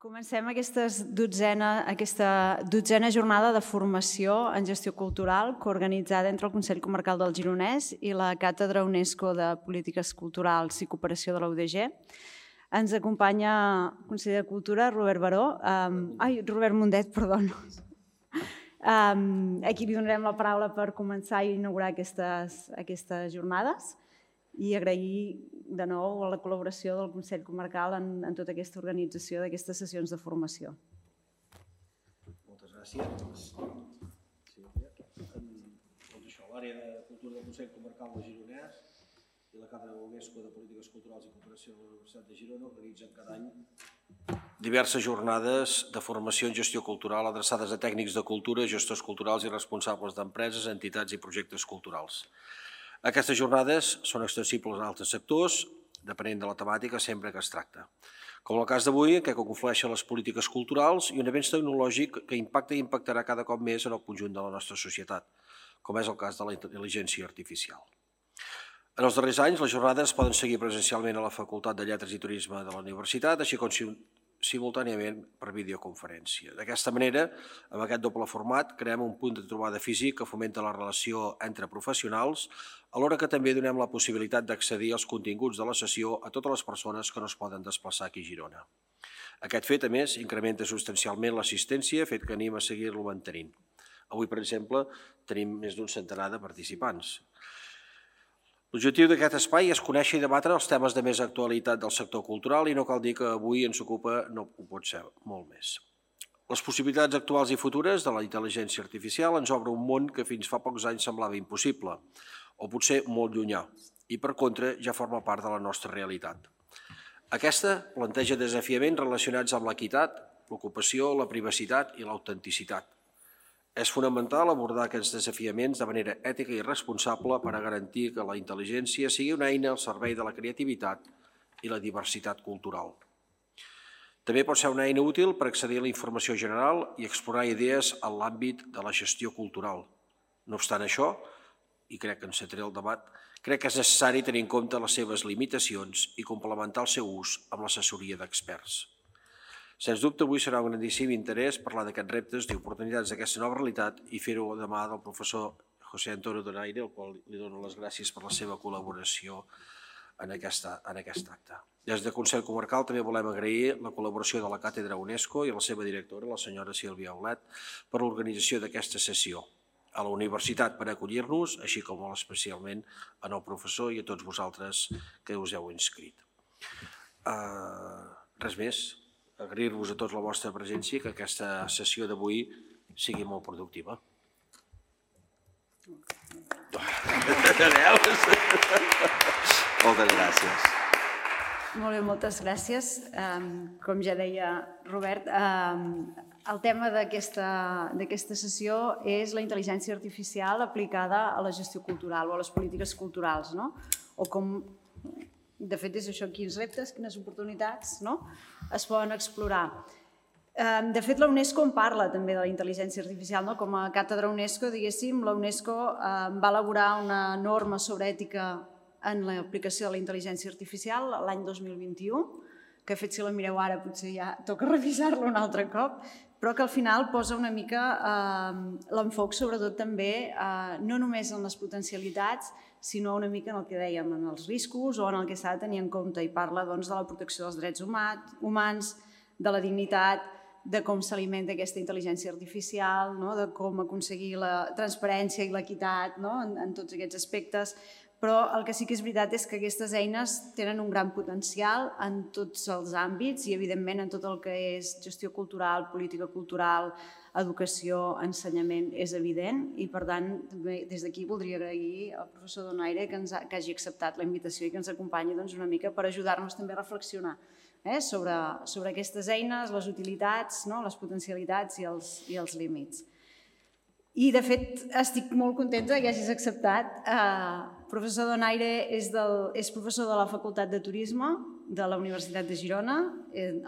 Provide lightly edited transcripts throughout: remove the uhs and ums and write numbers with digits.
Comencem aquesta dotzena jornada de formació en gestió cultural coorganitzada entre el Consell Comarcal del Gironès i la Càtedra UNESCO de Polítiques Culturals i Cooperació de la UDG. Ens acompanya el conseller de Cultura, Robert Mundet, a qui li donarem la paraula per començar i inaugurar aquestes jornades i agrair de nou la col·laboració del Consell Comarcal en tota aquesta organització d'aquestes sessions de formació. Moltes gràcies. L'àrea de cultura del Consell Comarcal del Gironès i la Càtedra UNESCO de Polítiques Culturals i Cooperació de la Universitat de Girona organitzen cada any diverses jornades de formació en gestió cultural adreçades a tècnics de cultura, gestors culturals i responsables d'empreses, entitats i projectes culturals. Aquestes jornades són extensibles a altres sectors, depenent de la temàtica sempre que es tracta. Com en el cas d'avui, en què conflueixen les polítiques culturals i un avenç tecnològic que impacta i impactarà cada cop més en el conjunt de la nostra societat, com és el cas de la intel·ligència artificial. En els darrers anys, les jornades poden seguir presencialment a la Facultat de Lletres i Turisme de la Universitat, així com simultàniament per videoconferència. D'aquesta manera, amb aquest doble format, creem un punt de trobada físic que fomenta la relació entre professionals, alhora que també donem la possibilitat d'accedir als continguts de la sessió a totes les persones que no es poden desplaçar aquí a Girona. Aquest fet, a més, incrementa substancialment l'assistència, fet que anima a seguir-lo mantenint. Avui, per exemple, tenim més d'un centenar de participants. L'objectiu d'aquest espai és conèixer i debatre els temes de més actualitat del sector cultural i no cal dir que avui ens ocupa, no ho pot ser, molt més. Les possibilitats actuals i futures de la intel·ligència artificial ens obre un món que fins fa pocs anys semblava impossible, o potser molt llunyà, i per contra ja forma part de la nostra realitat. Aquesta planteja desafiaments relacionats amb l'equitat, l'ocupació, la privacitat i l'autenticitat. És fonamental abordar aquests desafiaments de manera ètica i responsable per a garantir que la intel·ligència sigui una eina al servei de la creativitat i la diversitat cultural. També pot ser una eina útil per accedir a la informació general i explorar idees en l'àmbit de la gestió cultural. No obstant això, i crec que encetaré el debat, crec que és necessari tenir en compte les seves limitacions i complementar el seu ús amb l'assessoria d'experts. Sens dubte, avui serà un grandíssim interès parlar d'aquests reptes i oportunitats d'aquesta nova realitat i fer-ho de mà del professor José Antonio Donaire, al qual li dono les gràcies per la seva col·laboració en aquest acte. Des del Consell Comarcal també volem agrair la col·laboració de la Càtedra UNESCO i la seva directora, la senyora Sílvia Aulet, per l'organització d'aquesta sessió, a la universitat per acollir-nos, així com molt especialment al professor i a tots vosaltres que us heu inscrit. Res més. Agrair-vos a tots la vostra presència i que aquesta sessió d'avui sigui molt productiva. Moltes gràcies. Molt bé, moltes gràcies. Com ja deia Robert, el tema d'aquesta sessió és la intel·ligència artificial aplicada a la gestió cultural o a les polítiques culturals, no? O com... De fet, és això, quins reptes, quines oportunitats es poden explorar. De fet, la UNESCO en parla també de la intel·ligència artificial. Com a càtedra UNESCO, diguéssim, la UNESCO va elaborar una norma sobre ètica en l'aplicació de la intel·ligència artificial l'any 2021, que de fet, si la mireu ara, potser ja toca revisar-la un altre cop, però que al final posa una mica l'enfoc sobretot també no només en les potencialitats, sinó una mica en el que dèiem, en els riscos o en el que s'ha de tenir en compte, i parla de la protecció dels drets humans, de la dignitat, de com s'alimenta aquesta intel·ligència artificial, de com aconseguir la transparència i l'equitat en tots aquests aspectes. Però el que sí que és veritat és que aquestes eines tenen un gran potencial en tots els àmbits i, evidentment, en tot el que és gestió cultural, política cultural, educació, ensenyament, és evident. I, per tant, des d'aquí voldria agrair al professor Donaire que hagi acceptat la invitació i que ens acompanyi una mica per ajudar-nos també a reflexionar sobre aquestes eines, les utilitats, les potencialitats i els límits. I, de fet, estic molt contenta que hagis acceptat. El professor Donaire és professor de la Facultat de Turisme de la Universitat de Girona,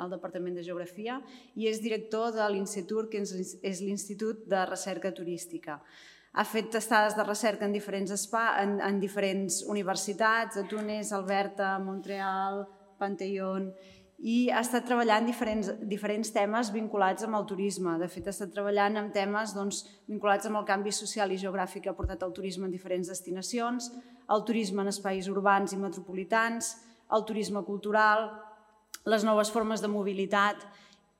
al Departament de Geografia, i és director de l'Institut, que és l'Institut de Recerca Turística. Ha fet estades de recerca en diferents universitats, a Tunis, Alberta, Montreal, Panteion, i ha estat treballant diferents temes vinculats amb el turisme. De fet, ha estat treballant amb temes vinculats amb el canvi social i geogràfic que ha portat el turisme en diferents destinacions, el turisme en espais urbans i metropolitans, el turisme cultural, les noves formes de mobilitat,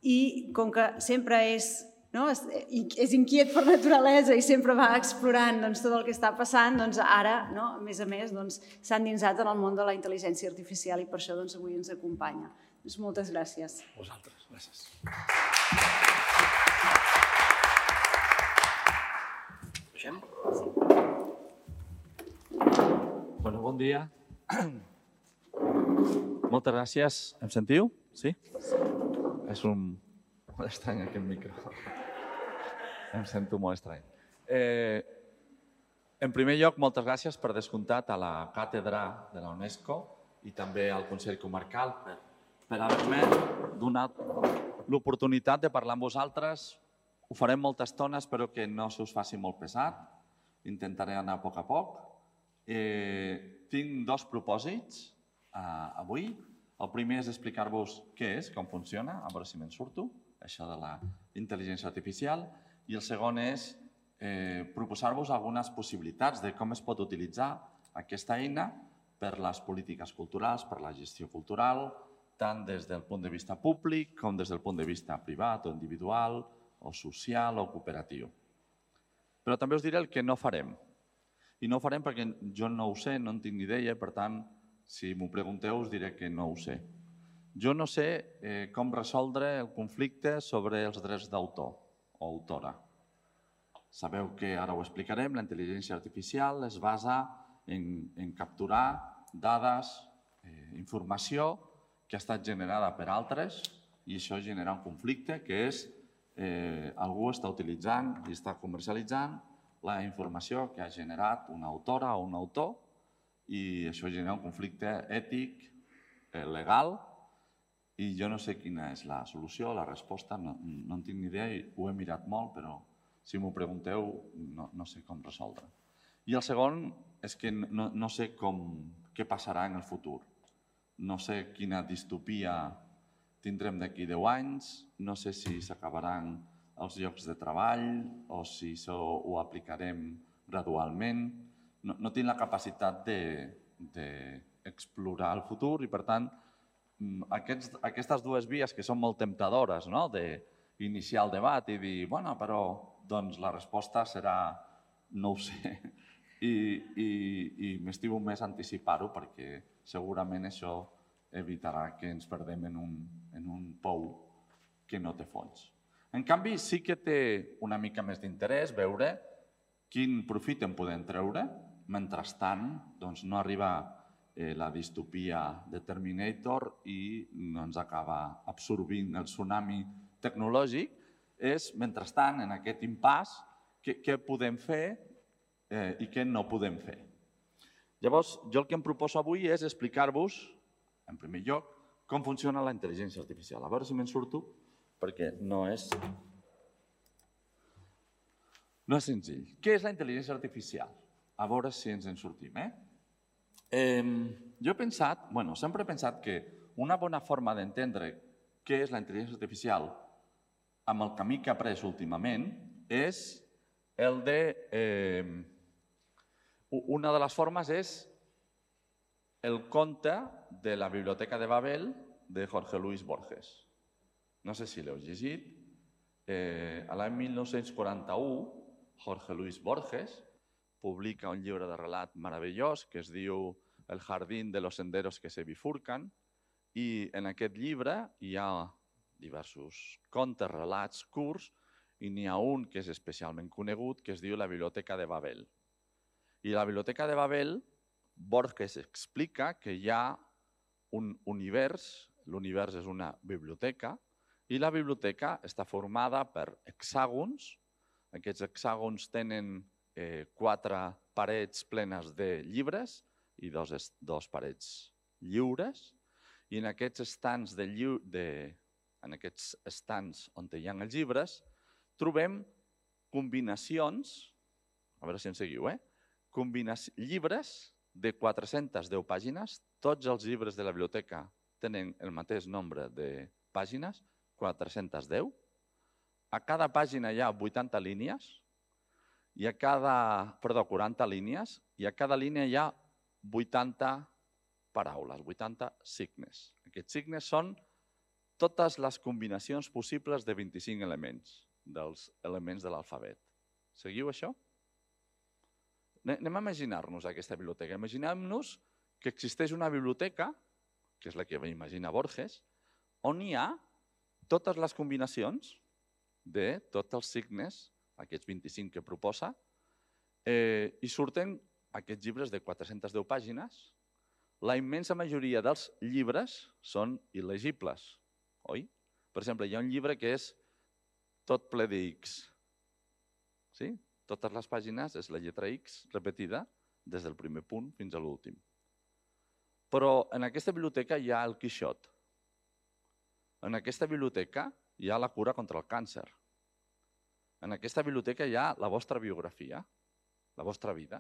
i com que sempre és inquiet per naturalesa i sempre va explorant tot el que està passant, ara, a més, s'ha endinsat en el món de la intel·ligència artificial i per això avui ens acompanya. Moltes gràcies. Vosaltres, gràcies. Bon dia. Moltes gràcies. Em sentiu? Sí? És molt estrany aquest micro. Em sento molt estrany. En primer lloc, moltes gràcies per descomptat a la càtedra de la UNESCO i també al Consell Comarcal per haver-me donat l'oportunitat de parlar amb vosaltres. Ho farem molta estona, espero que no se us faci molt pesat. Intentaré anar a poc. Tinc dos propòsits avui. El primer és explicar-vos què és, com funciona, a veure si me'n surto, això de la intel·ligència artificial. I el segon és proposar-vos algunes possibilitats de com es pot utilitzar aquesta eina per les polítiques culturals, per la gestió cultural, tant des del punt de vista públic com des del punt de vista privat o individual o social o cooperatiu. Però també us diré el que no farem. I no ho farem perquè jo no ho sé, no en tinc ni idea, per tant, si m'ho pregunteu us diré que no ho sé. Jo no sé com resoldre el conflicte sobre els drets d'autor o autora. Sabeu que, ara ho explicarem, la intel·ligència artificial es basa en capturar dades, informació que ha estat generada per altres i això genera un conflicte que és algú està utilitzant i està comercialitzant la informació que ha generat una autora o un autor i això genera un conflicte ètic, legal, i jo no sé quina és la solució, la resposta, no en tinc ni idea i ho he mirat molt, però si m'ho pregunteu no sé com resoldre. I el segon és que no sé què passarà en el futur. No sé quina distopia tindrem d'aquí 10 anys, no sé si s'acabaran els llocs de treball o si ho aplicarem gradualment. No tinc la capacitat d'explorar el futur i, per tant, aquestes dues vies que són molt temptadores, d'iniciar el debat i dir, bueno, però la resposta serà no ho sé. I m'estimo més anticipar-ho perquè segurament això evitarà que ens perdem en un pou que no té fons. En canvi, sí que té una mica més d'interès veure quin profit en podem treure. Mentrestant, no arriba la distopia de Terminator i no ens acaba absorbint el tsunami tecnològic. És, mentrestant, en aquest impàs, què podem fer i què no podem fer. Llavors, jo el que em proposo avui és explicar-vos, en primer lloc, com funciona la intel·ligència artificial. A veure si me'n surto, perquè no és senzill. Què és la intel·ligència artificial? A veure si ens en sortim. Jo he pensat, sempre he pensat que una bona forma d'entendre què és la intel·ligència artificial amb el camí que he après últimament és el de... Una de les formes és el conte de la Biblioteca de Babel de Jorge Luis Borges. No sé si l'heu llegit. A l'any 1941, Jorge Luis Borges publica un llibre de relat meravellós que es diu El jardín de los senderos que se bifurcan i en aquest llibre hi ha diversos contes, relats curts i n'hi ha un que és especialment conegut que es diu La Biblioteca de Babel. I a la Biblioteca de Babel, Borges explica que hi ha un univers, l'univers és una biblioteca, i la biblioteca està formada per hexàgons. Aquests hexàgons tenen 4 parets plenes de llibres i 2 parets lliures. I en aquests estants on hi ha els llibres trobem combinacions, a veure si em seguiu, llibres de 410 pàgines. Tots els llibres de la biblioteca tenen el mateix nombre de pàgines, 410. A cada pàgina hi ha 80 línies, i a cada, 40 línies, i a cada línia hi ha 80 paraules, 80 signes. Aquests signes són totes les combinacions possibles de 25 elements, dels elements de l'alfabet. Seguiu això? Anem a imaginar-nos aquesta biblioteca. Imaginem-nos que existeix una biblioteca, que és la que va imaginar Borges, on hi ha totes les combinacions de tots els signes, aquests 25 que proposa, i surten aquests llibres de 410 pàgines. La immensa majoria dels llibres són il·legibles, oi? Per exemple, hi ha un llibre que és tot ple de X. Sí? Totes les pàgines és la lletra X repetida des del primer punt fins a l'últim. Però en aquesta biblioteca hi ha el Quixot. En aquesta biblioteca hi ha la cura contra el càncer. En aquesta biblioteca hi ha la vostra biografia, la vostra vida.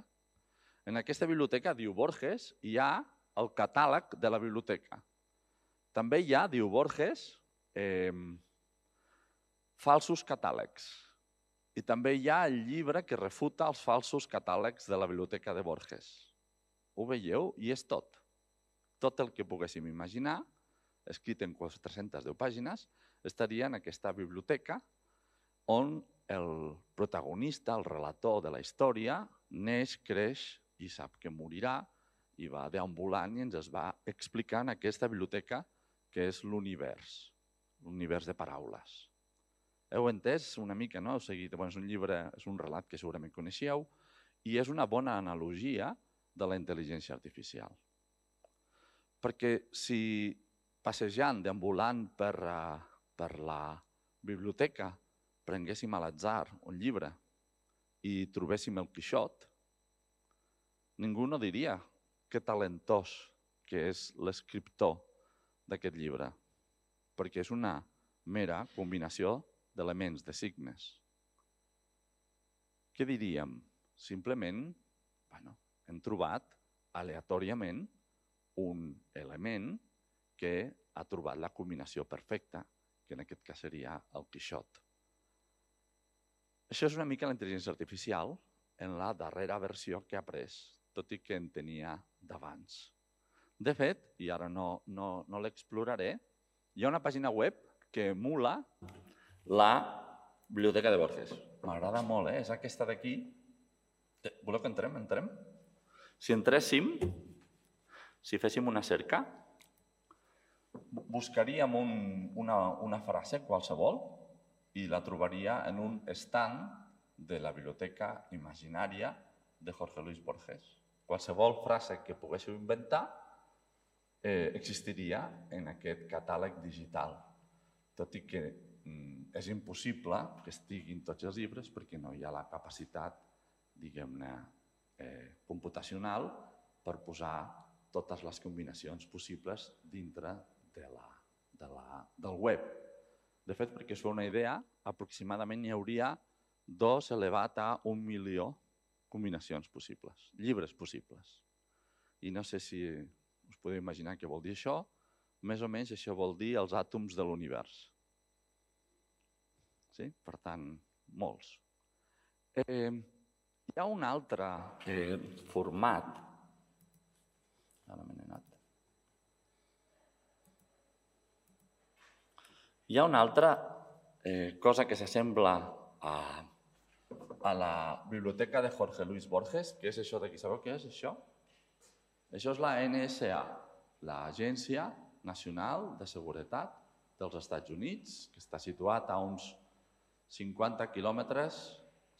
En aquesta biblioteca, diu Borges, hi ha el catàleg de la biblioteca. També hi ha, diu Borges, falsos catàlegs. I també hi ha el llibre que refuta els falsos catàlegs de la biblioteca de Borges. Ho veieu? I és tot. Tot el que poguéssim imaginar, escrit en 410 pàgines, estaria en aquesta biblioteca on el protagonista, el relator de la història, neix, creix i sap que morirà i va deambulant i ens es va explicant aquesta biblioteca que és l'univers de paraules. Heu entès una mica, no? És un llibre, és un relat que segurament coneixeu i és una bona analogia de la intel·ligència artificial. Perquè si passejant, deambulant per la biblioteca, prenguéssim a l'atzar un llibre i trobéssim el Quixot, ningú no diria que talentós que és l'escriptor d'aquest llibre, perquè és una mera combinació d'elements, de signes. Què diríem? Simplement, hem trobat aleatòriament un element que ha trobat la combinació perfecta, que en aquest cas seria el Quixot. Això és una mica la intel·ligència artificial en la darrera versió que ha pres, tot i que en tenia d'abans. De fet, i ara no l'exploraré, hi ha una pàgina web que emula la biblioteca de Borges. M'agrada molt, és aquesta d'aquí. Voleu que entrem? Entrem? Si entréssim, si féssim una cerca, buscaríem una frase qualsevol i la trobaria en un stand de la biblioteca imaginària de Jorge Luis Borges. Qualsevol frase que poguéssiu inventar existiria en aquest catàleg digital, tot i que és impossible que estiguin tots els llibres perquè no hi ha la capacitat, diguem-ne, computacional per posar totes les combinacions possibles dintre del web. De fet, perquè us feu una idea, aproximadament hi hauria 2 elevat a 1 milió combinacions possibles, llibres possibles. I no sé si us podeu imaginar què vol dir això. Més o menys això vol dir els àtoms de l'univers. Sí? Per tant, molts. Hi ha un altre format. Ara me n'he anat. Hi ha una altra cosa que s'assembla a la biblioteca de Jorge Luis Borges, que és això d'aquí. Sabeu què és això? Això és la NSA, l'Agència Nacional de Seguretat dels Estats Units, que està situat a uns 50 quilòmetres,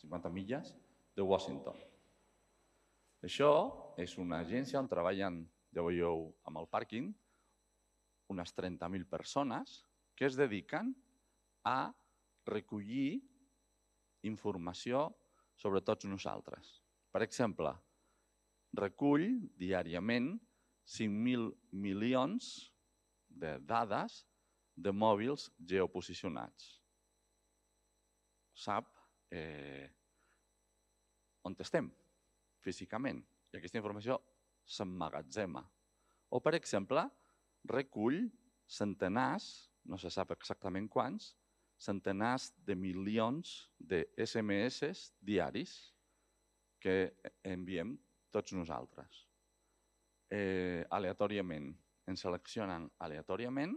50 milles, de Washington. Això és una agència on treballen, ja veieu amb el pàrquing, unes 30.000 persones que es dediquen a recollir informació sobre tots nosaltres. Per exemple, recull diàriament 5.000 milions de dades de mòbils geoposicionats. Sap on estem físicament i aquesta informació s'emmagatzema. O, per exemple, recull centenars, no se sap exactament quants, centenars de milions de SMS diaris que enviem tots nosaltres. Aleatòriament, ens seleccionen aleatòriament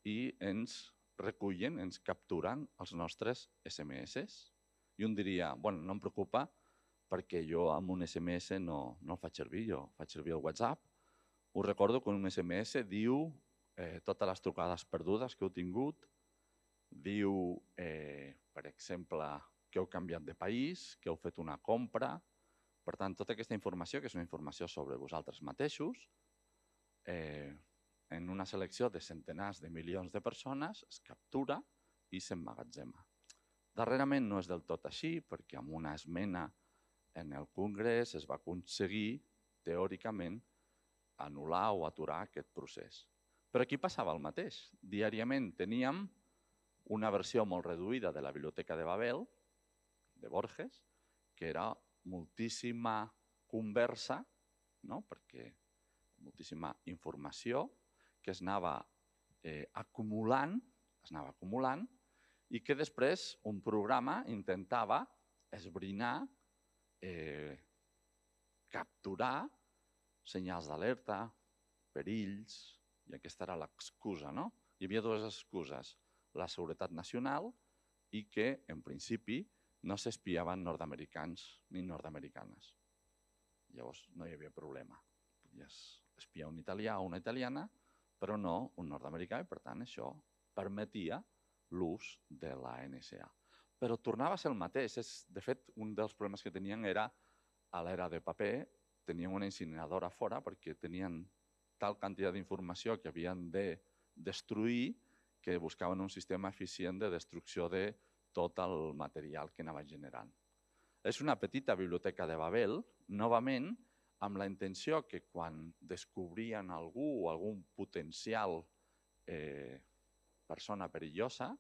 i ens recullen, ens capturen els nostres SMS. I un diria, bueno, no em preocupa perquè jo amb un SMS no el faig servir, jo faig servir el WhatsApp. Us recordo que un SMS diu totes les trucades perdudes que heu tingut, diu, per exemple, que heu canviat de país, que heu fet una compra. Per tant, tota aquesta informació, que és una informació sobre vosaltres mateixos, en una selecció de centenars de milions de persones, es captura i s'emmagatzema. Darrerament no és del tot així, perquè amb una esmena en el Congrés es va aconseguir, teòricament, anul·lar o aturar aquest procés. Però aquí passava el mateix. Diàriament teníem una versió molt reduïda de la Biblioteca de Babel, de Borges, que era moltíssima conversa, no? Perquè moltíssima informació que es anava acumulant i que després un programa intentava esbrinar, capturar senyals d'alerta, perills, i aquesta era l'excusa, no? Hi havia dues excuses, la seguretat nacional i que, en principi, no s'espiaven nord-americans ni nord-americanes. Llavors no hi havia problema. Podies espiar un italià o una italiana, però no un nord-americà, i per tant això permetia l'ús de la NSA. Però tornava a ser el mateix. De fet, un dels problemes que tenien era, a l'era de paper, tenien una incineradora fora perquè tenien tal quantitat d'informació que havien de destruir que buscaven un sistema eficient de destrucció de tot el material que anava generant. És una petita biblioteca de Babel, novament, amb la intenció que quan descobrien algú o algun potencial persona perillosa,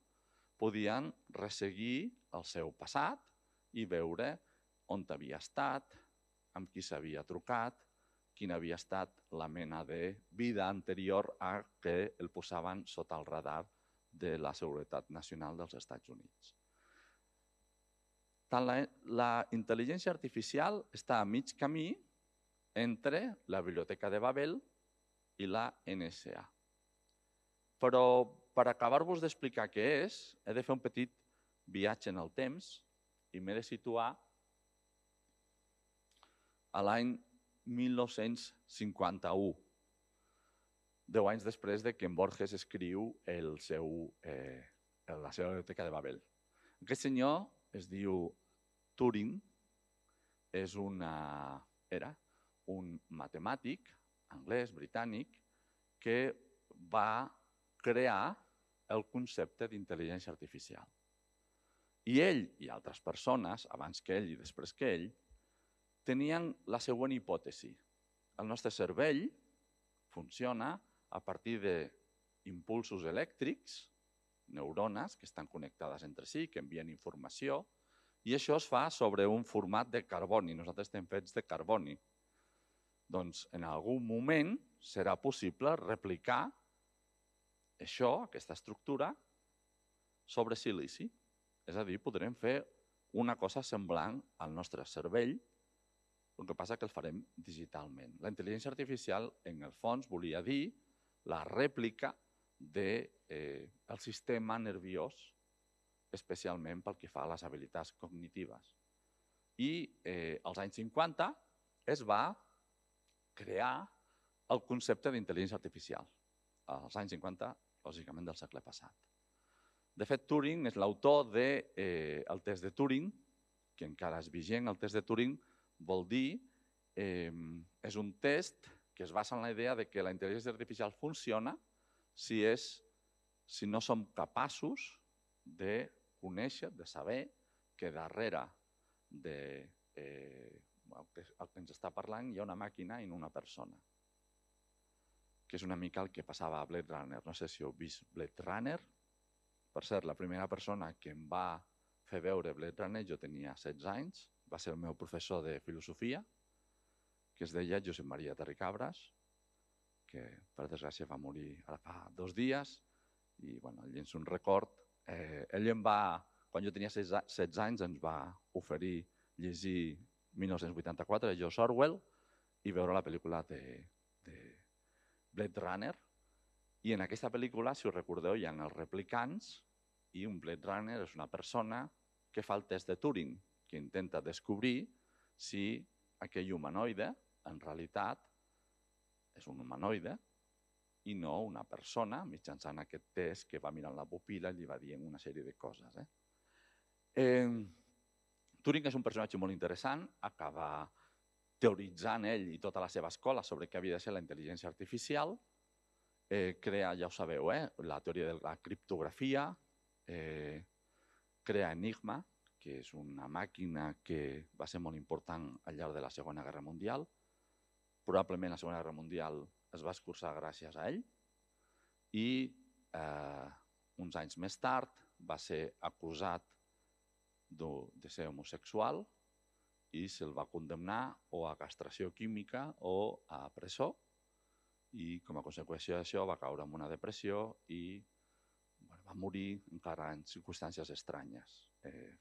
podien resseguir el seu passat i veure on havia estat, amb qui s'havia trucat, quina havia estat la mena de vida anterior a que el posaven sota el radar de la Seguretat Nacional dels Estats Units. La intel·ligència artificial està a mig camí entre la Biblioteca de Babel i la NSA. Però per acabar-vos d'explicar què és, he de fer un petit viatge en el temps i m'he de situar a l'any 1951, 10 anys després de que en Borges escriu la seva Biblioteca de Babel. Aquest senyor es diu Turing, era un matemàtic anglès, britànic, que va crear el concepte d'intel·ligència artificial. I ell i altres persones, abans que ell i després que ell, tenien la següent hipòtesi. El nostre cervell funciona a partir d'impulsos elèctrics, neurones que estan connectades entre si, que envien informació, i això es fa sobre un format de carboni. Nosaltres estem fets de carboni. Doncs en algun moment serà possible replicar això, aquesta estructura, sobre silici. És a dir, podrem fer una cosa semblant al nostre cervell, el que passa que el farem digitalment. La intel·ligència artificial, en el fons, volia dir la rèplica del sistema nerviós, especialment pel que fa a les habilitats cognitives. I als anys 50 es va crear el concepte d'intel·ligència artificial. Als anys 50, lògicament, del segle passat. De fet, Turing és l'autor del test de Turing, que encara és vigent. El test de Turing vol dir, és un test que es basa en la idea de que la intel·ligència artificial funciona si no som capaços de conèixer, de saber que darrere del que ens està parlant hi ha una màquina i no una persona. Que és una mica el que passava a Blade Runner. No sé si heu vist Blade Runner. Per cert, la primera persona que em va fer veure Blade Runner, jo tenia 16 anys, va ser el meu professor de filosofia, que es deia Josep Maria Terricabras, que per desgràcia va morir ara fa 2 dies, i ell llença un record. Ell quan jo tenia 16 anys, ens va oferir llegir 1984 de George Orwell i veure la pel·lícula de Blade Runner. I en aquesta pel·lícula, si us recordeu, hi ha els replicants i un Blade Runner és una persona que fa el test de Turing, que intenta descobrir si aquell humanoide en realitat és un humanoide i no una persona, mitjançant aquest test que va mirant la pupil·la i li va dient una sèrie de coses. Turing és un personatge molt interessant, acaba teoritzant ell i tota la seva escola sobre què havia de ser la intel·ligència artificial, crea, ja ho sabeu, la teoria de la criptografia, crea Enigma, que és una màquina que va ser molt important al llarg de la Segona Guerra Mundial. Probablement la Segona Guerra Mundial es va escurçar gràcies a ell i uns anys més tard va ser acusat de ser homosexual i se'l va condemnar o a castració química o a presó, i com a conseqüència d'això va caure en una depressió i va morir encara en circumstàncies estranyes.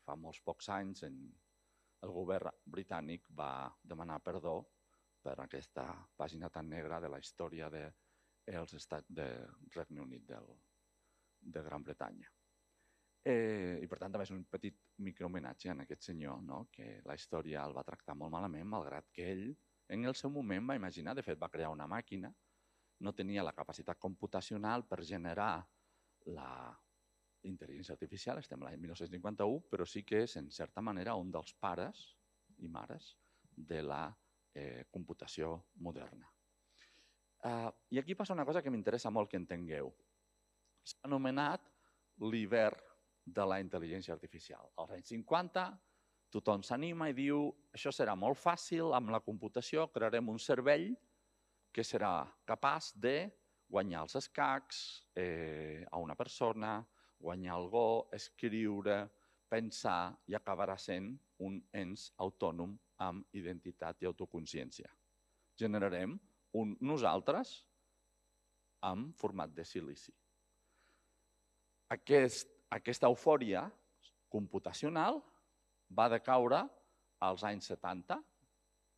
Fa molts pocs anys el govern britànic va demanar perdó per aquesta pàgina tan negra de la història dels estats del Regne Unit de Gran Bretanya. I per tant també és un petit microhomenatge a aquest senyor, que la història el va tractar molt malament, malgrat que ell en el seu moment va imaginar, de fet va crear una màquina, no tenia la capacitat computacional per generar la intel·ligència artificial, estem l'any 1951, però sí que és, en certa manera, un dels pares i mares de la computació moderna. I aquí passa una cosa que m'interessa molt que entengueu. S'ha anomenat l'hivern de la intel·ligència artificial. Als anys 50 tothom s'anima i diu això serà molt fàcil, amb la computació crearem un cervell que serà capaç de guanyar els escacs a una persona, guanyar el go, escriure, pensar i acabarà sent un ens autònom amb identitat i autoconsciència. Generarem un nosaltres en format de silici. Aquesta eufòria computacional va decaure als anys 70,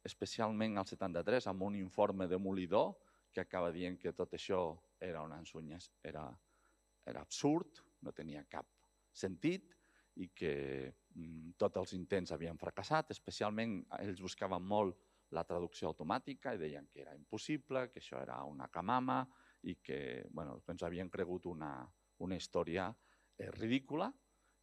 especialment al 73, amb un informe demolidor que acaba dient que tot això era una ensunya, era absurd, no tenia cap sentit i que tots els intents havien fracassat, especialment ells buscaven molt la traducció automàtica i deien que era impossible, que això era una camama i que ens havien cregut una història ridícula,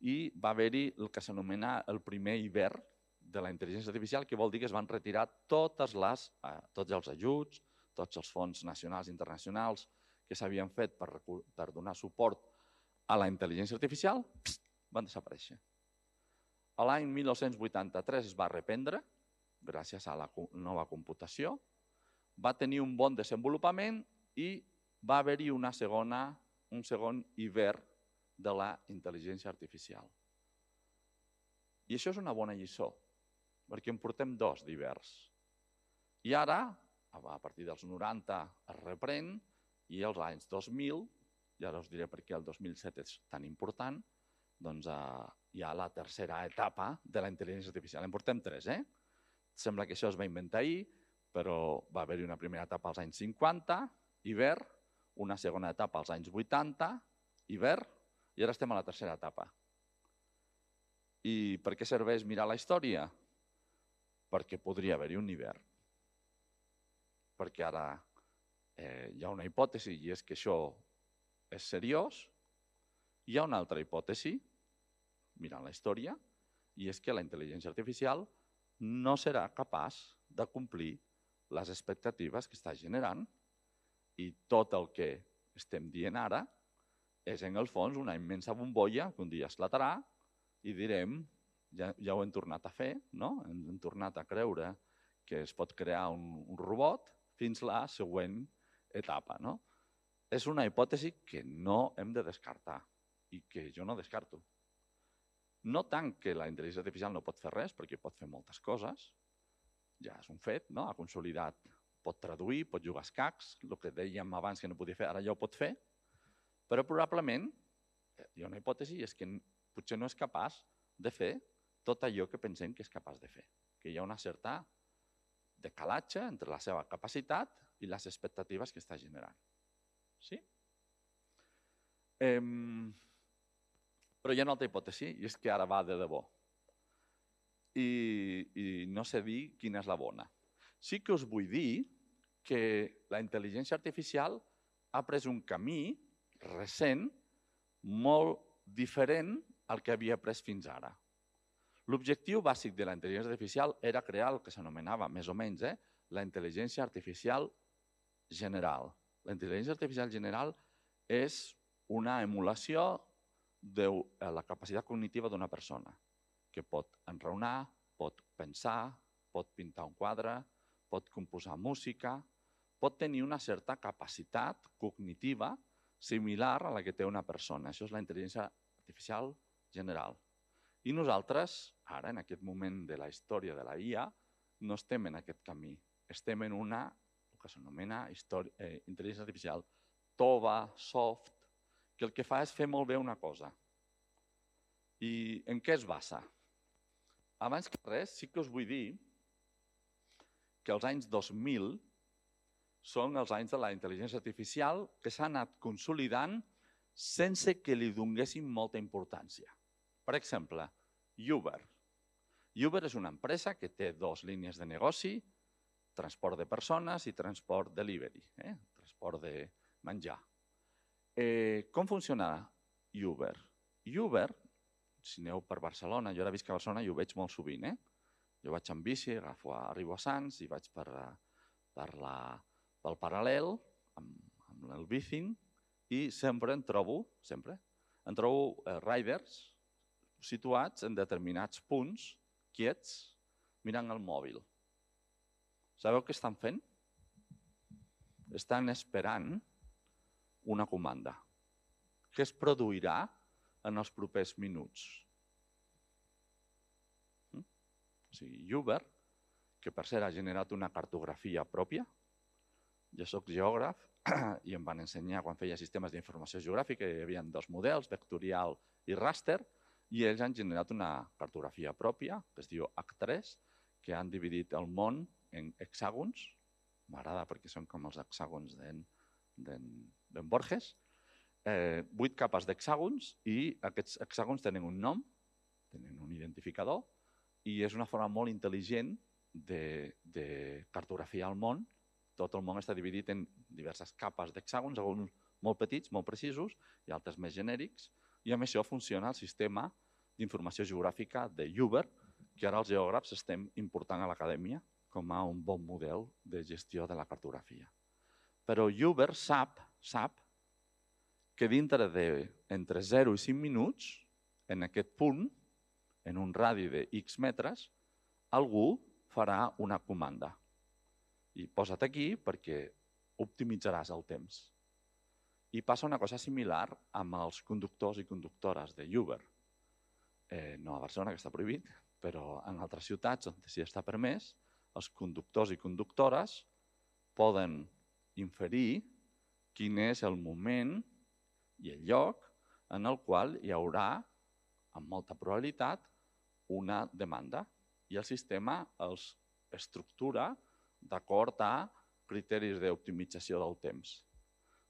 i va haver-hi el que s'anomena el primer hivern de la intel·ligència artificial, que vol dir que es van retirar tots els ajuts, tots els fons nacionals i internacionals que s'havien fet per donar suport a la intel·ligència artificial, van desaparèixer. L'any 1983 es va reprendre, gràcies a la nova computació, va tenir un bon desenvolupament i va haver-hi un segon hivern de la intel·ligència artificial. I això és una bona lliçó, perquè en portem 2 d'hiverns. I ara, a partir dels 90, es reprèn, i als anys 2000, i ara us diré per què el 2007 és tan important, doncs hi ha la tercera etapa de la intel·ligència artificial. En portem 3, Sembla que això es va inventar ahir, però va haver-hi una primera etapa als anys 50, hivern, una segona etapa als anys 80, hivern, i ara estem a la tercera etapa. I per què serveix mirar la història? Perquè podria haver-hi un hivern. Perquè ara hi ha una hipòtesi, i és que això és seriós. Hi ha una altra hipòtesi, mirant la història, i és que la intel·ligència artificial no serà capaç de complir les expectatives que està generant, i tot el que estem dient ara és, en el fons, una immensa bombolla que un dia esclatarà i direm, ja ho hem tornat a fer, hem tornat a creure que es pot crear un robot fins a la següent etapa. És una hipòtesi que no hem de descartar i que jo no descarto. No tant que la intel·ligència artificial no pot fer res, perquè pot fer moltes coses, ja és un fet, ha consolidat pot traduir, pot jugar a escacs, el que dèiem abans que no podia fer, ara ja ho pot fer, però probablement, hi ha una hipòtesi, és que potser no és capaç de fer tot allò que pensem que és capaç de fer, que hi ha una certa decalatge entre la seva capacitat i les expectatives que està generant. Sí? Però hi ha una altra hipòtesi, i és que ara va de debò. I no sé dir quina és la bona. Sí que us vull dir que la intel·ligència artificial ha pres un camí recent molt diferent al que havia pres fins ara. L'objectiu bàsic de la intel·ligència artificial era crear el que s'anomenava, més o menys, la intel·ligència artificial general. La intel·ligència artificial general és una emulació de la capacitat cognitiva d'una persona, que pot enraonar, pot pensar, pot pintar un quadre, pot composar música, pot tenir una certa capacitat cognitiva similar a la que té una persona. Això és la intel·ligència artificial general. I nosaltres, ara, en aquest moment de la història de la IA, no estem en aquest camí. Estem en una, el que s'anomena intel·ligència artificial tova, soft, que el que fa és fer molt bé una cosa. I en què es basa? Abans que res, sí que us vull dir que els anys 2000 són els anys de la intel·ligència artificial que s'ha anat consolidant sense que li donéssim molta importància. Per exemple, Uber. Uber és una empresa que té dues línies de negoci, transport de persones i transport delivery, transport de menjar. Com funciona Uber? Uber, si aneu per Barcelona, jo ara visc a Barcelona i ho veig molt sovint. Jo vaig amb bici, arribo a Sants i vaig pel Paral·lel, amb el Bicing, i sempre en trobo riders situats en determinats punts, quiets, mirant el mòbil. Sabeu què estan fent? Estan esperant una comanda que es produirà en els propers minuts. O sigui, Uber, que per cert ha generat una cartografia pròpia. Jo soc geògraf i em van ensenyar quan feia sistemes d'informació geogràfica, hi havia dos models, vectorial i ràster, i ells han generat una cartografia pròpia, que es diu H3, que han dividit el món en hexàgons. M'agrada perquè són com els hexàgons d'en Borges. 8 capes d'hexàgons i aquests hexàgons tenen un nom, tenen un identificador i és una forma molt intel·ligent de cartografiar el món. Tot el món està dividit en diverses capes d'hexàgons, alguns molt petits, molt precisos i altres més genèrics, i amb això funciona el sistema d'informació geogràfica de Uber, que ara els geògrafs estem important a l'acadèmia com a un bon model de gestió de la cartografia. Però Uber sap que dintre d'entre 0 i 5 minuts, en aquest punt, en un radi de X metres, algú farà una comanda. I posa't aquí perquè optimitzaràs el temps. I passa una cosa similar amb els conductors i conductores de Uber. No a Barcelona, que està prohibit, però en altres ciutats on sí està permès, els conductors i conductores poden inferir quin és el moment i el lloc en el qual hi haurà, amb molta probabilitat, una demanda. I el sistema els estructura d'acord a criteris d'optimització del temps.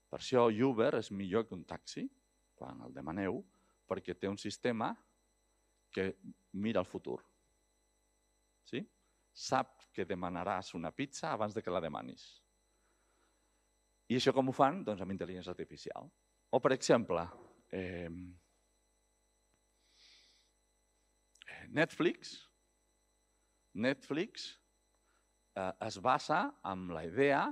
Per això Uber és millor que un taxi, quan el demaneu, perquè té un sistema que mira el futur. Sí? Sap que demanaràs una pizza abans que la demanis. I això com ho fan? Doncs amb intel·ligència artificial. O, per exemple, Netflix es basa en la idea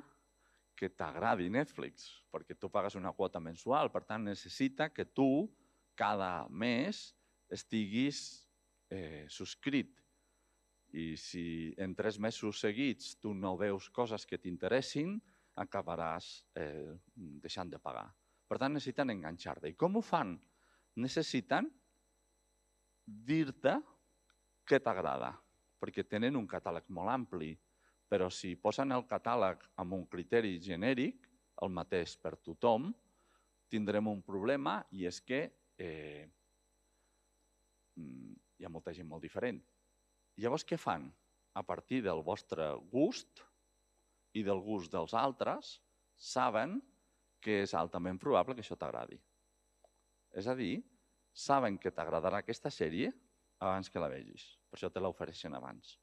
que t'agradi Netflix, perquè tu pagues una quota mensual, per tant necessita que tu cada mes estiguis subscrit. I si en 3 mesos seguits tu no veus coses que t'interessin, acabaràs deixant de pagar. Per tant, necessiten enganxar-te. I com ho fan? Necessiten dir-te què t'agrada, perquè tenen un catàleg molt ampli. però si posen el catàleg amb un criteri genèric, el mateix per tothom, tindrem un problema i és que hi ha molta gent molt diferent. Llavors, què fan? A partir del vostre gust i del gust dels altres, saben que és altament probable que això t'agradi. És a dir, saben que t'agradarà aquesta sèrie abans que la vegis. Per això te l'ofereixen abans.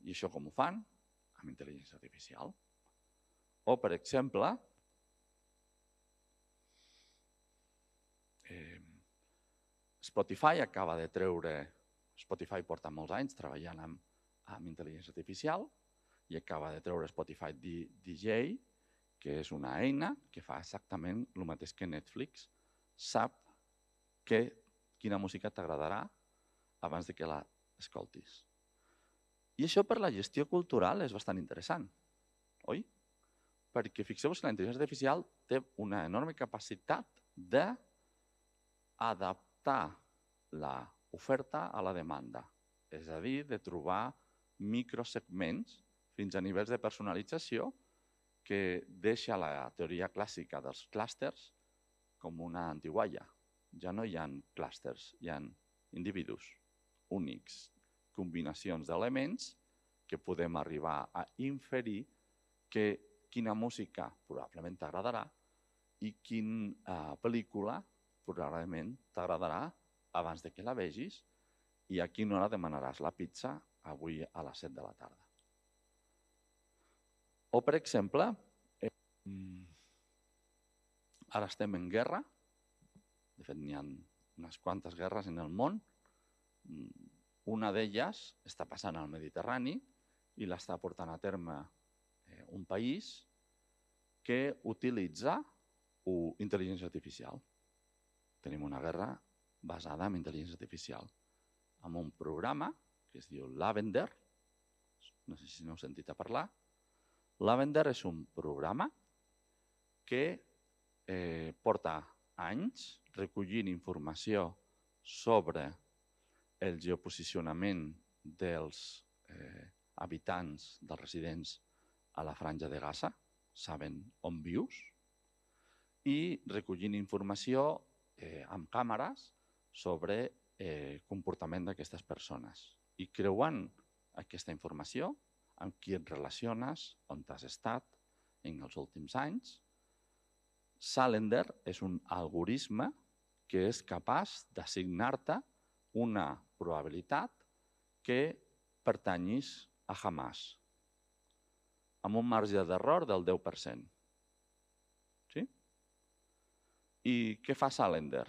I això com ho fan? Amb intel·ligència artificial. O, per exemple, Spotify acaba de treure... Spotify porta molts anys treballant amb intel·ligència artificial i acaba de treure Spotify DJ, que és una eina que fa exactament el mateix que Netflix. Sap quina música t'agradarà abans que la escoltis. I això per la gestió cultural és bastant interessant, oi? Perquè fixeu-vos que la intel·ligència artificial té una enorme capacitat d'adaptar l'oferta a la demanda. És a dir, de trobar microsegments fins a nivells de personalització que deixa la teoria clàssica dels clústers com una antigualla. Ja no hi ha clústers, hi ha individus únics, combinacions d'elements que podem arribar a inferir quina música probablement t'agradarà i quina pel·lícula probablement t'agradarà abans que la vegis i a quina hora demanaràs la pizza avui a les 7 de la tarda. O, per exemple, ara estem en guerra, de fet n'hi ha unes quantes guerres en el món, una d'elles està passant al Mediterrani i l'està portant a terme un país que utilitza intel·ligència artificial. Tenim una guerra basada en intel·ligència artificial, amb un programa que es diu Lavender, no sé si n'heu sentit a parlar. Lavender és un programa que porta anys recollint informació sobre el geoposicionament dels habitants, dels residents a la franja de Gaza, saben on vius, i recollint informació amb càmeres sobre comportament d'aquestes persones. I creuant aquesta informació, amb qui et relaciones, on t'has estat en els últims anys, Salender és un algoritme que és capaç d'assignar-te una probabilitat que pertanyis a Hamas, amb un marge d'error del 10%. Sí? I què fa Salender?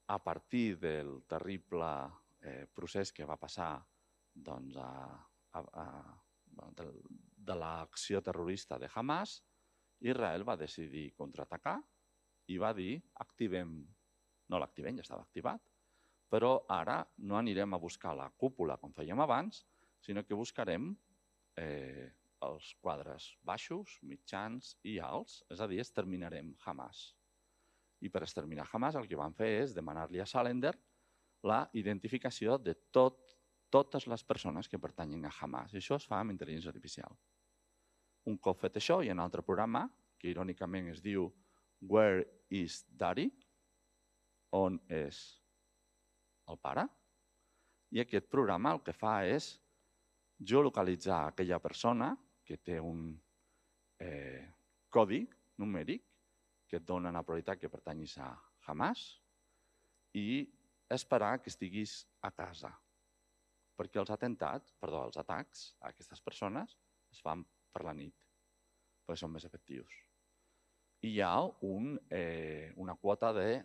A partir del terrible procés que va passar de l'acció terrorista de Hamas, Israel va decidir contraatacar i va dir, no l'activem, ja estava activat, però ara no anirem a buscar la cúpula com fèiem abans, sinó que buscarem els quadres baixos, mitjans i alts, és a dir, exterminarem Hamas. I per exterminar Hamas el que van fer és demanar-li a Salender la identificació de totes les persones que pertanyen a Hamas. I això es fa amb intel·ligència artificial. Un cop fet això, hi ha un altre programa que irònicament es diu Where is Daddy? On és el pare? I aquest programa el que fa és geolocalitzar aquella persona que té un codi numèric que et dona la probabilitat que pertanyis a Hamas i esperar que estiguis a casa. Perquè els atacs a aquestes persones es fan per la nit, perquè són més efectius. I hi ha una quota de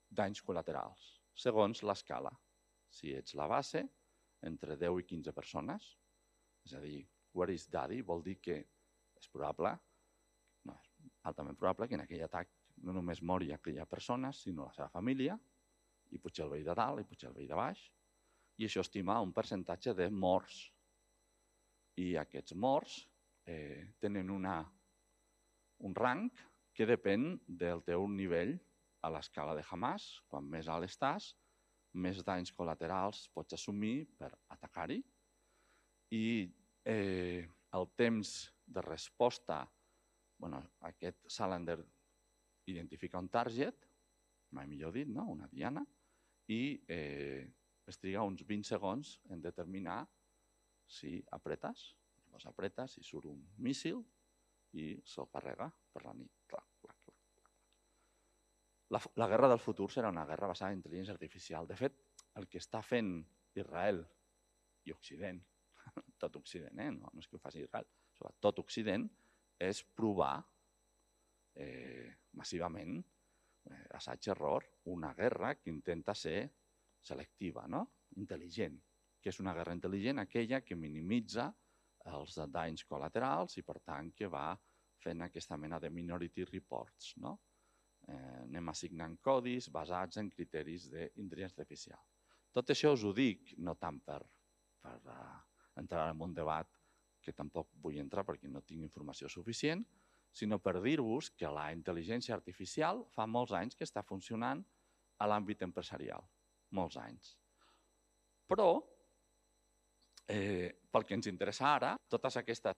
danys col·laterals, segons l'escala. Si ets la base, entre 10 i 15 persones, és a dir, where is daddy, vol dir que és probable, no, és altament probable que en aquell atac no només mori aquella persona, sinó la seva família, i potser el veí de dalt, i potser el veí de baix, i això estima un percentatge de morts. I aquests morts tenen un rang que depèn del teu nivell a l'escala de Hamas. Quan més alt estàs, més danys col·laterals pots assumir per atacar-hi i el temps de resposta, aquest Salander identifica un target, mai millor dit, una diana, i es triga uns 20 segons en determinar si apretes. Llavors apretes i surt un míssil i se'l carrega per la nit. La guerra del futur serà una guerra basada en intel·ligència artificial. De fet, el que està fent Israel i Occident, tot Occident, no és que ho faci Israel, tot Occident, és provar massivament, assaig-error, una guerra que intenta ser selectiva, intel·ligent, que és una guerra intel·ligent aquella que minimitza els danys col·laterals i, per tant, que va fent aquesta mena de minority reports. Anem assignant codis basats en criteris d'intel·ligència artificial. Tot això us ho dic, no tant per entrar en un debat que tampoc vull entrar perquè no tinc informació suficient, sinó per dir-vos que la intel·ligència artificial fa molts anys que està funcionant a l'àmbit empresarial. Molts anys. Però, pel que ens interessa ara, totes aquestes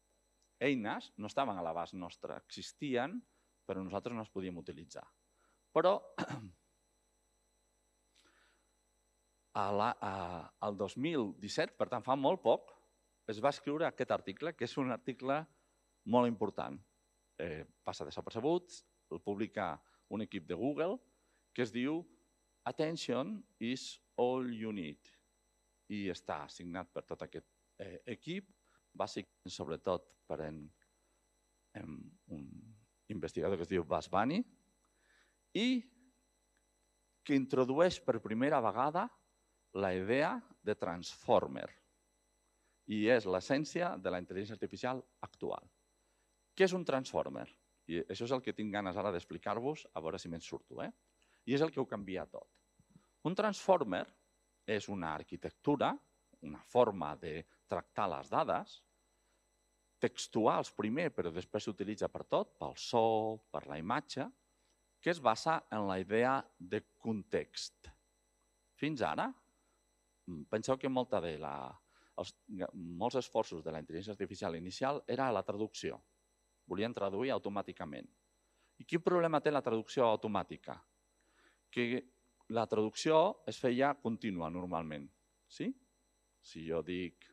eines no estaven a l'abast nostre, existien, però nosaltres no les podíem utilitzar. Però, el 2017, per tant fa molt poc, es va escriure aquest article, que és un article molt important. Passa desapercebut, el publica un equip de Google, que es diu Attention is all you need. I està signat per tot aquest equip, bàsicament sobretot per un investigador que es diu Bas Bani, i que introdueix per primera vegada la idea de transformer. I és l'essència de la intel·ligència artificial actual. Què és un transformer? I això és el que tinc ganes ara d'explicar-vos, a veure si me'n surto. I és el que ho canvia tot. Un transformer és una arquitectura, una forma de tractar les dades, textuals primer, però després s'utilitza per tot, pel so, per la imatge, que es basa en la idea de context. Fins ara, penseu que molts esforços de la intel·ligència artificial inicial era la traducció. Volien traduir automàticament. I quin problema té la traducció automàtica? Que la traducció es feia contínua normalment. Si jo dic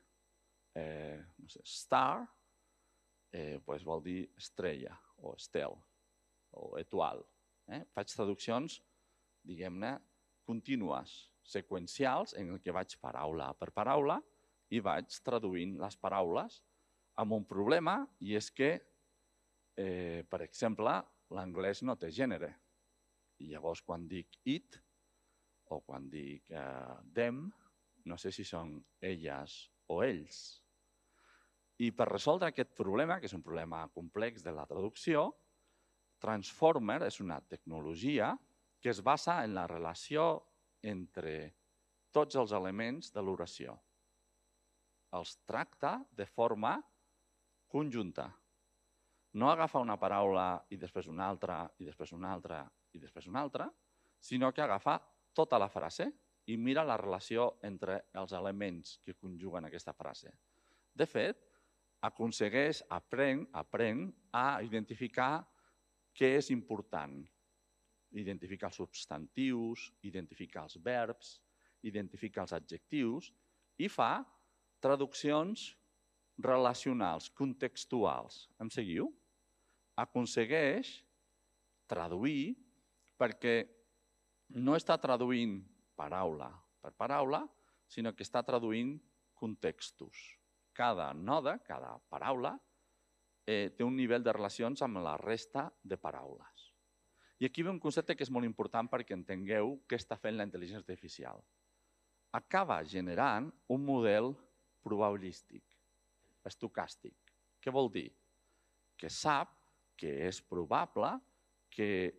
star, vol dir estrella o estel o étoile. Faig traduccions, diguem-ne, contínues, seqüencials, en què vaig paraula per paraula i vaig traduint les paraules amb un problema, i és que, per exemple, l'anglès no té gènere. I llavors, quan dic it o quan dic them, no sé si són elles o ells. I per resoldre aquest problema, que és un problema complex de la traducció, Transformer és una tecnologia que es basa en la relació entre tots els elements de l'oració. Els tracta de forma conjunta. No agafa una paraula i després una altra, i després una altra, i després una altra, sinó que agafa tota la frase i mira la relació entre els elements que conjuguen aquesta frase. De fet, aprèn a identificar què és important. Identificar els substantius, identificar els verbs, identificar els adjectius i fa traduccions relacionals, contextuals. Em seguiu? Aconsegueix traduir perquè no està traduint paraula per paraula, sinó que està traduint contextos. Cada node, cada paraula, té un nivell de relacions amb la resta de paraules. I aquí ve un concepte que és molt important perquè entengueu què està fent la intel·ligència artificial. Acaba generant un model probabilístic, estocàstic. Què vol dir? Que sap que és probable que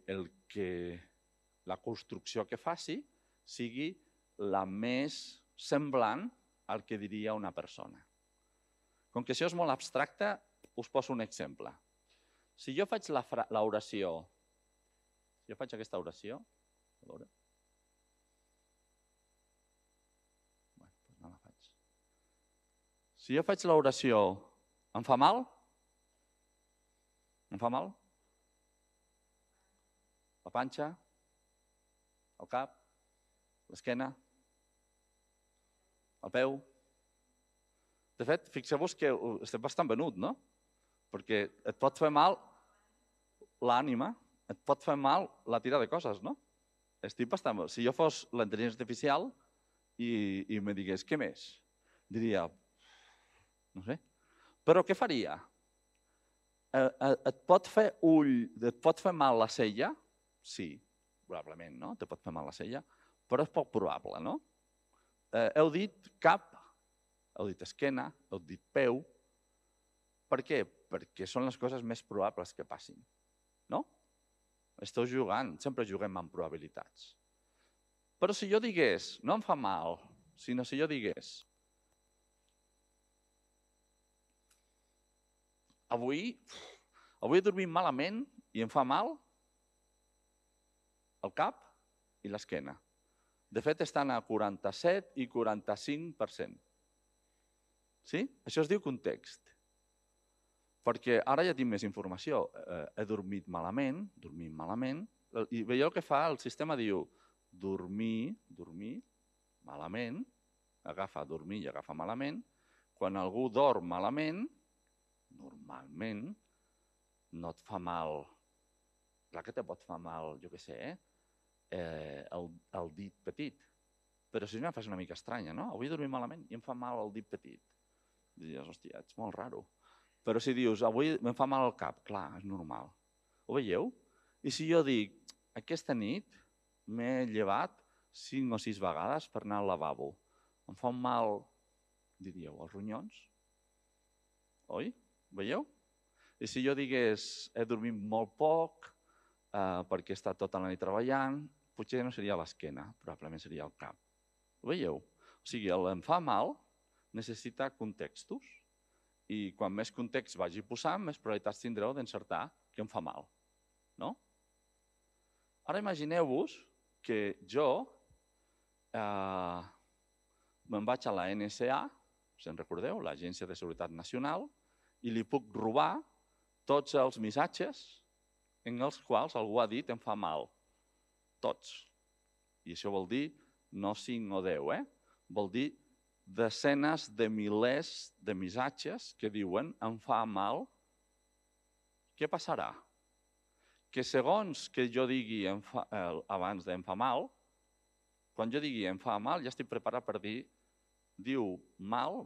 la construcció que faci sigui la més semblant al que diria una persona. Com que això és molt abstracte, us poso un exemple. Si jo faig l'oració, si jo faig aquesta oració, a veure, Si jo faig l'oració, em fa mal? Em fa mal? La panxa? El cap? L'esquena? El peu? De fet, fixeu-vos que estem bastant venut, no? Perquè et pot fer mal l'ànima, et pot fer mal la tira de coses, no? Estic bastant... Si jo fos la intel·ligència artificial i me digués, què més? Diria, no sé. Però què faria? Et pot fer et pot fer mal la cella? Sí, probablement, no? Te pot fer mal la cella, però és poc probable, no? Heu dit cap, heu dit esquena, heu dit peu. Per què? Perquè són les coses més probables que passin, no? Esteu jugant, sempre juguem amb probabilitats. Però si jo digués, no em fa mal, sinó si jo digués, avui he dormit malament i em fa mal el cap i l'esquena. De fet, estan a 47 i 45%. Sí? Això es diu context. Perquè ara ja tinc més informació. He dormit malament, i veieu què fa? El sistema diu dormir, malament, agafa dormir i agafa malament. Quan algú dorm malament, normalment no et fa mal, clar que te pot fer mal, jo què sé, el dit petit. Però si no, fas una mica estranya, no? Avui he dormit malament i em fa mal el dit petit. Diries, hòstia, ets molt raro. Però si dius, avui em fa mal el cap, clar, és normal. Ho veieu? I si jo dic, aquesta nit m'he llevat 5 o 6 vegades per anar al lavabo. Em fa mal, diríeu, els ronyons? Oi? Veieu? I si jo digués, he dormit molt poc perquè he estat tota la nit treballant, potser no seria l'esquena, probablement seria el cap. Ho veieu? O sigui, em fa mal necessita contextos i quan més context vagi posant, més probabilitats tindreu d'encertar que em fa mal. No? Ara imagineu-vos que jo me'n vaig a la NSA, si en recordeu, l'Agència de Seguretat Nacional, i li puc robar tots els missatges en els quals algú ha dit em fa mal. Tots. I això vol dir no 5 o 10, vol dir desenes de milers de missatges que diuen em fa mal. Què passarà? Que segons que jo digui abans de em fa mal, quan jo digui em fa mal ja estic preparat per dir diu mal,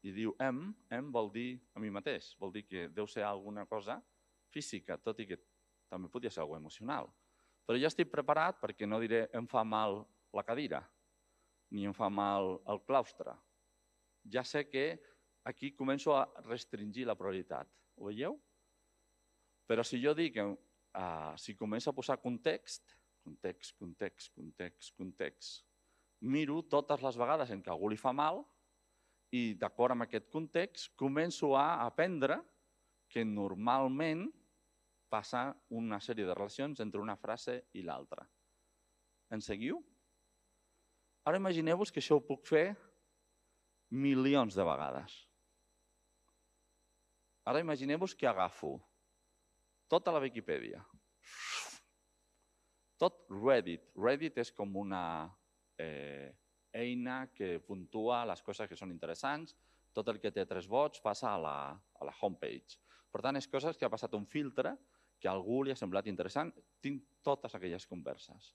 i diu em vol dir a mi mateix, vol dir que deu ser alguna cosa física, tot i que també podria ser alguna cosa emocional. Però ja estic preparat perquè no diré em fa mal la cadira, ni em fa mal el claustre. Ja sé que aquí començo a restringir la probabilitat. Ho veieu? Però si jo dic, si començo a posar context, miro totes les vegades en què algú li fa mal i d'acord amb aquest context començo a aprendre que normalment passa una sèrie de relacions entre una frase i l'altra. En seguiu? Ara imagineu-vos que això ho puc fer milions de vegades. Ara imagineu-vos que agafo tota la Viquipèdia, tot Reddit. Reddit és com una eina que puntua les coses que són interessants, tot el que té 3 vots passa a la homepage. Per tant, és coses que ha passat un filtre, que a algú li ha semblat interessant. Tinc totes aquelles converses.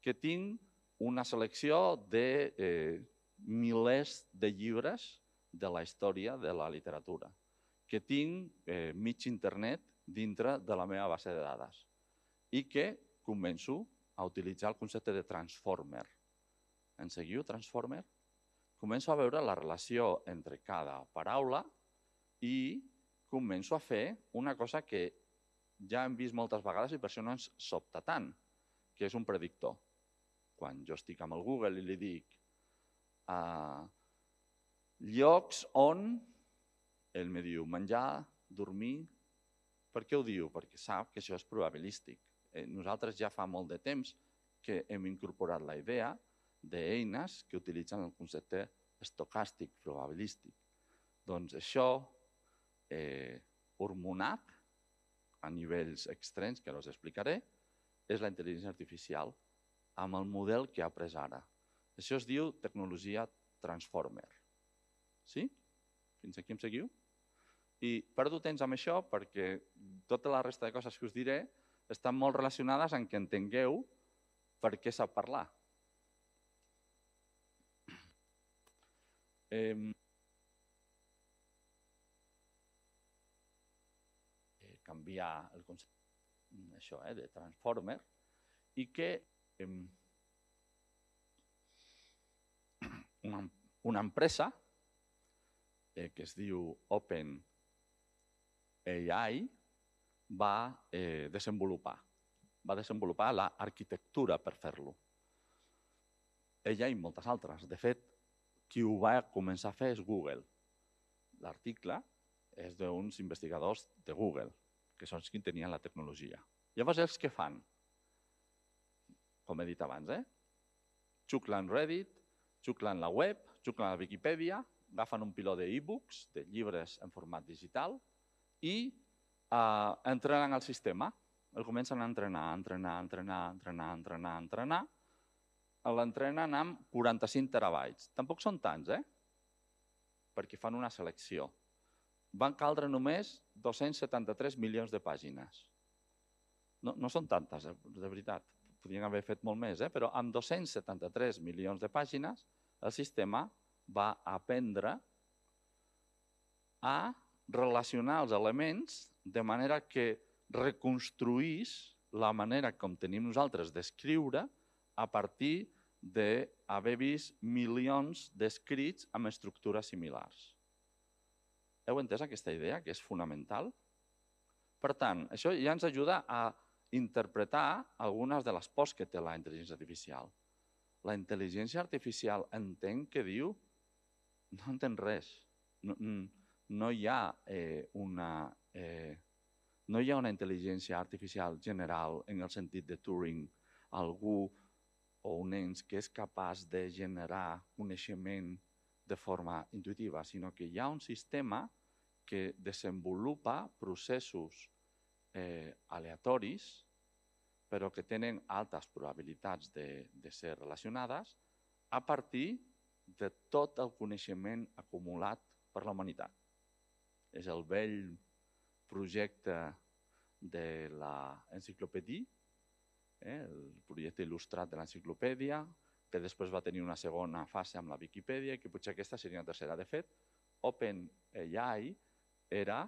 Que tinc una selecció de milers de llibres de la història de la literatura. Que tinc mig internet dintre de la meva base de dades. I que començo a utilitzar el concepte de transformer. En seguiu, transformer? Començo a veure la relació entre cada paraula i començo a fer una cosa que ja hem vist moltes vegades i per això no ens sobta tant, que és un predictor. Quan jo estic amb el Google i li dic llocs on, ell me diu menjar, dormir. Per què ho diu? Perquè sap que això és probabilístic. Nosaltres ja fa molt de temps que hem incorporat la idea d'eines que utilitzen el concepte estocàstic, probabilístic. Doncs això, hormonat a nivells extrems, que ara us explicaré, és la intel·ligència artificial amb el model que ha pres ara. Això es diu tecnologia transformer. Sí? Fins aquí em seguiu? I perdo temps amb això perquè tota la resta de coses que us diré estan molt relacionades amb que entengueu per què sap parlar. Canviar el concepte de transformer i que una empresa que es diu OpenAI va desenvolupar l'arquitectura per fer-lo. Ella i moltes altres. De fet, qui ho va començar a fer és Google. L'article és d'uns investigadors de Google, que són els que tenien la tecnologia. Llavors, els que fan? Com he dit abans, xuclen Reddit, xuclen la web, xuclen la Viquipèdia, agafen un piló d'e-books, de llibres en format digital, i entrenen el sistema. El comencen a entrenar. L'entrenen amb 45 terabytes. Tampoc són tants, perquè fan una selecció. Van caldre només 273 milions de pàgines. No són tantes, de veritat. Podrien haver fet molt més, però amb 273 milions de pàgines el sistema va aprendre a relacionar els elements de manera que reconstruís la manera com tenim nosaltres d'escriure a partir d'haver vist milions d'escrits amb estructures similars. Heu entès aquesta idea, que és fonamental? Per tant, això ja ens ajuda a interpretar algunes de les pors que té la intel·ligència artificial. La intel·ligència artificial entén què diu? No entén res. No hi ha una intel·ligència artificial general en el sentit de Turing, algú o un ens que és capaç de generar coneixement de forma intuïtiva, sinó que hi ha un sistema que desenvolupa processos aleatoris, però que tenen altes probabilitats de ser relacionades a partir de tot el coneixement acumulat per la humanitat. És el vell projecte de l'enciclopèdia, el projecte il·lustrat de l'enciclopèdia, que després va tenir una segona fase amb la Viquipèdia i que potser aquesta seria una tercera. De fet, OpenAI era,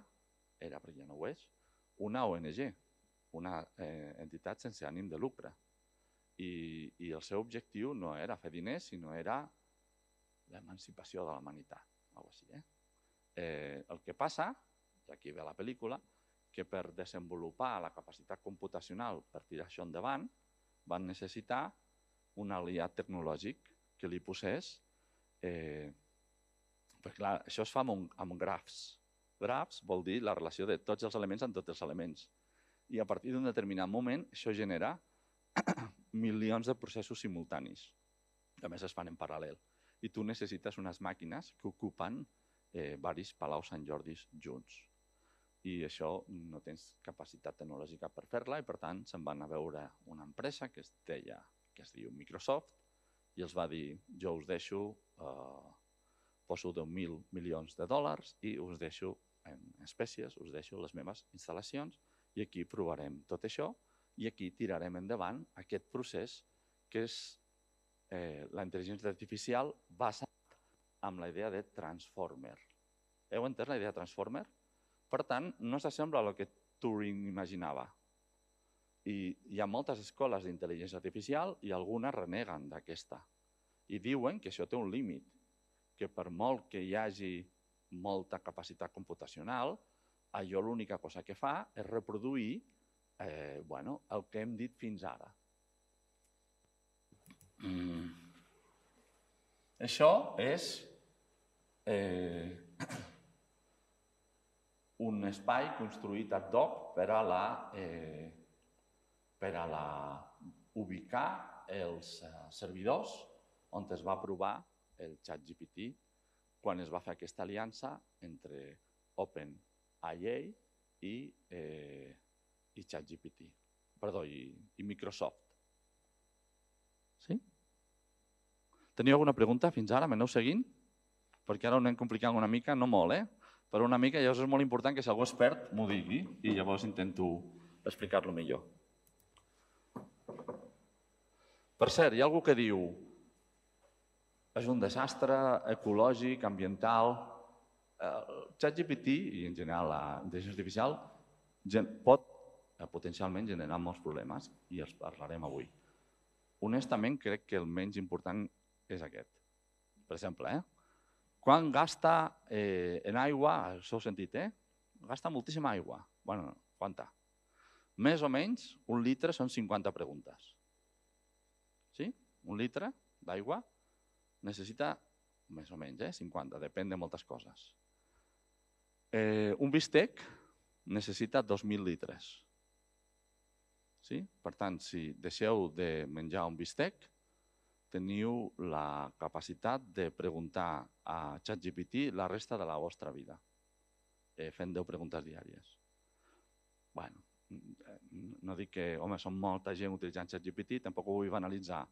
perquè ja no ho és, una ONG, una entitat sense ànim de lucre. I el seu objectiu no era fer diners, sinó era l'emancipació de la humanitat. El que passa, i aquí ve la pel·lícula, que per desenvolupar la capacitat computacional per tirar això endavant van necessitar un aliat tecnològic que li posés... Perquè clar, això es fa amb grafs. Grafs vol dir la relació de tots els elements amb tots els elements. I a partir d'un determinat moment això genera milions de processos simultanis, que a més es fan en paral·lel. I tu necessites unes màquines que ocupen diversos Palau Sant Jordis junts. I això no tens capacitat tecnològica per fer-la i per tant se'n van a veure una empresa que es diu Microsoft i els va dir jo us deixo, poso 10.000 milions de dòlars i us deixo en espècies, us deixo les meves instal·lacions i aquí provarem tot això i aquí tirarem endavant aquest procés que és la intel·ligència artificial basat en la idea de transformer. Heu entès la idea de transformer? Per tant, no s'assembla al que Turing imaginava. I hi ha moltes escoles d'intel·ligència artificial i algunes reneguen d'aquesta. I diuen que això té un límit, que per molt que hi hagi molta capacitat computacional, allò l'única cosa que fa és reproduir el que hem dit fins ara. Això és un espai construït ad hoc per a ubicar els servidors on es va provar el ChatGPT quan es va fer aquesta aliança entre OpenAI i ChatGPT, perdó, i Microsoft. Sí? Teniu alguna pregunta fins ara? M'aneu seguint? Perquè ara ho anem complicant una mica, no molt, però una mica, llavors és molt important que si algú és expert m'ho digui i llavors intento explicar-lo millor. Per cert, hi ha algú que diu és un desastre ecològic, ambiental. ChatGPT i en general la intel·ligència artificial pot potencialment generar molts problemes i els parlarem avui. Honestament, crec que el menys important és aquest. Per exemple, quan gasta en aigua, això ho heu sentit, gasta moltíssima aigua. Bueno, quanta? Més o menys, 1 litre són 50 preguntes. Sí? 1 litre d'aigua necessita més o menys, 50, depèn de moltes coses. Un bistec necessita 2.000 litres. Sí? Per tant, si deixeu de menjar un bistec, teniu la capacitat de preguntar a ChatGPT la resta de la vostra vida, fent 10 preguntes diàries. Bueno, no dic que, home, són molta gent utilitzant ChatGPT, tampoc ho vull banalitzar,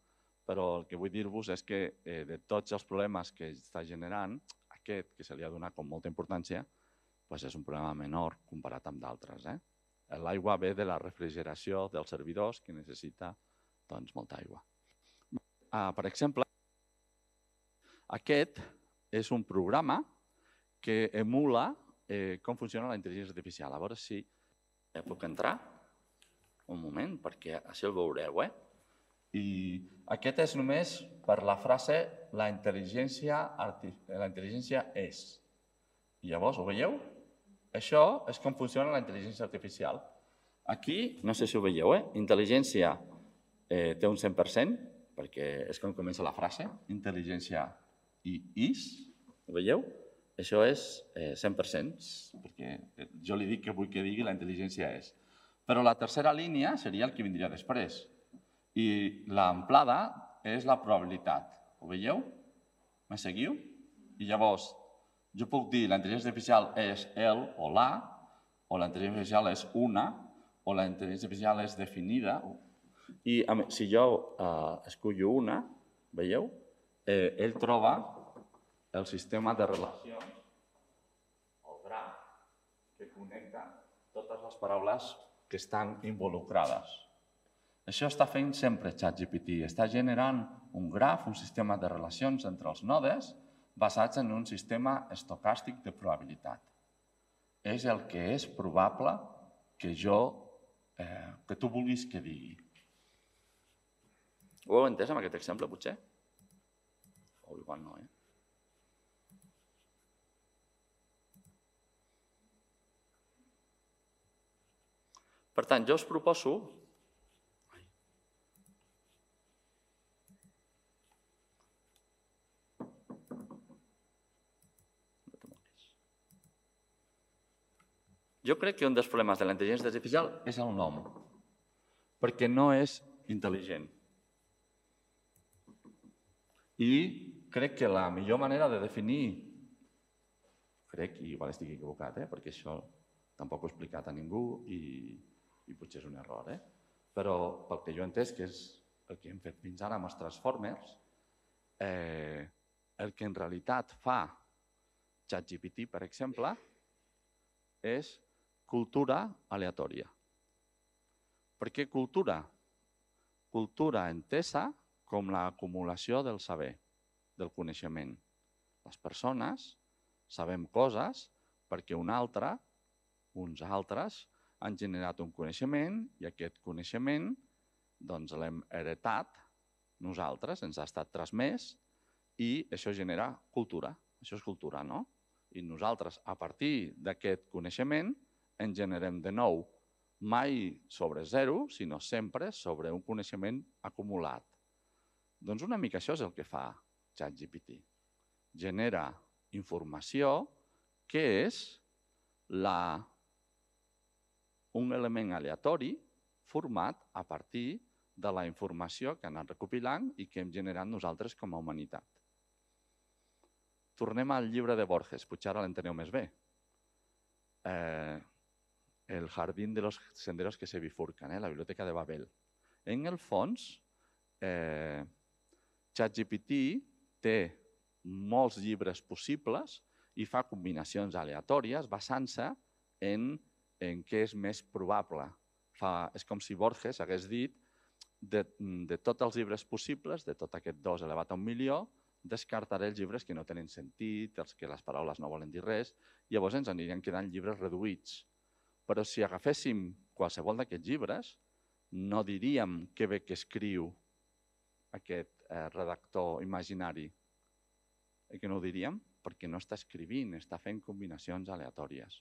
però el que vull dir-vos és que de tots els problemes que està generant, aquest, que se li ha donat com molta importància, és un problema menor comparat amb d'altres. L'aigua ve de la refrigeració dels servidors que necessita molta aigua. Per exemple, aquest és un programa que emula com funciona la intel·ligència artificial. A veure si puc entrar un moment, perquè així el veureu. I aquest és només per la frase la intel·ligència és. I llavors, ho veieu? Això és com funciona la intel·ligència artificial. Aquí, no sé si ho veieu, intel·ligència té un 100%, perquè és com comença la frase, intel·ligència i is, ho veieu? Això és 100%, perquè jo li dic que vull que digui la intel·ligència és. Però la tercera línia seria el que vindria després. I l'amplada és la probabilitat. Ho veieu? Me seguiu? I llavors, jo puc dir la intel·ligència artificial és el o la, o la intel·ligència artificial és una, o la intel·ligència artificial és definida. I si jo escullo una, veieu? Ell troba el sistema de relacions, el graf, que connecta totes les paraules que estan involucrades. Això està fent sempre ChatGPT. Està generant un graf, un sistema de relacions entre els nodes basats en un sistema estocàstic de probabilitat. És el que és probable que tu vulguis que digui. Ho heu entès amb aquest exemple, potser? O igual no, Per tant, jo us proposo Jo crec que un dels problemes de la intel·ligència artificial és el nom, perquè no és intel·ligent. I crec que la millor manera de definir, crec, i igual estic equivocat, perquè això tampoc ho he explicat a ningú i potser és un error, però pel que jo he entès, que és el que hem fet fins ara amb els Transformers, el que en realitat fa ChatGPT, per exemple, és cultura aleatòria. Per què cultura? Cultura entesa com l'acumulació del saber, del coneixement. Les persones sabem coses perquè uns altres han generat un coneixement i aquest coneixement l'hem heretat nosaltres, ens ha estat transmès i això genera cultura. Això és cultura, no? I nosaltres, a partir d'aquest coneixement, en generem de nou, mai sobre zero, sinó sempre sobre un coneixement acumulat. Doncs una mica això és el que fa ChatGPT. Genera informació que és un element aleatori format a partir de la informació que ha anat recopilant i que hem generat nosaltres com a humanitat. tornem al llibre de Borges, potser ara l'enteneu més bé. El jardín de los senderos que se bifurcan, la biblioteca de Babel. En el fons, ChatGPT té molts llibres possibles i fa combinacions aleatòries basant-se en què és més probable. És com si Borges hagués dit de tots els llibres possibles, de tot aquest 2 elevat a 1 milió, descartaré els llibres que no tenen sentit, els que les paraules no volen dir res, i llavors ens anirien quedant llibres reduïts. Però si agaféssim qualsevol d'aquests llibres, no diríem que bé que escriu aquest redactor imaginari. I que no ho diríem? Perquè no està escrivint, està fent combinacions aleatòries.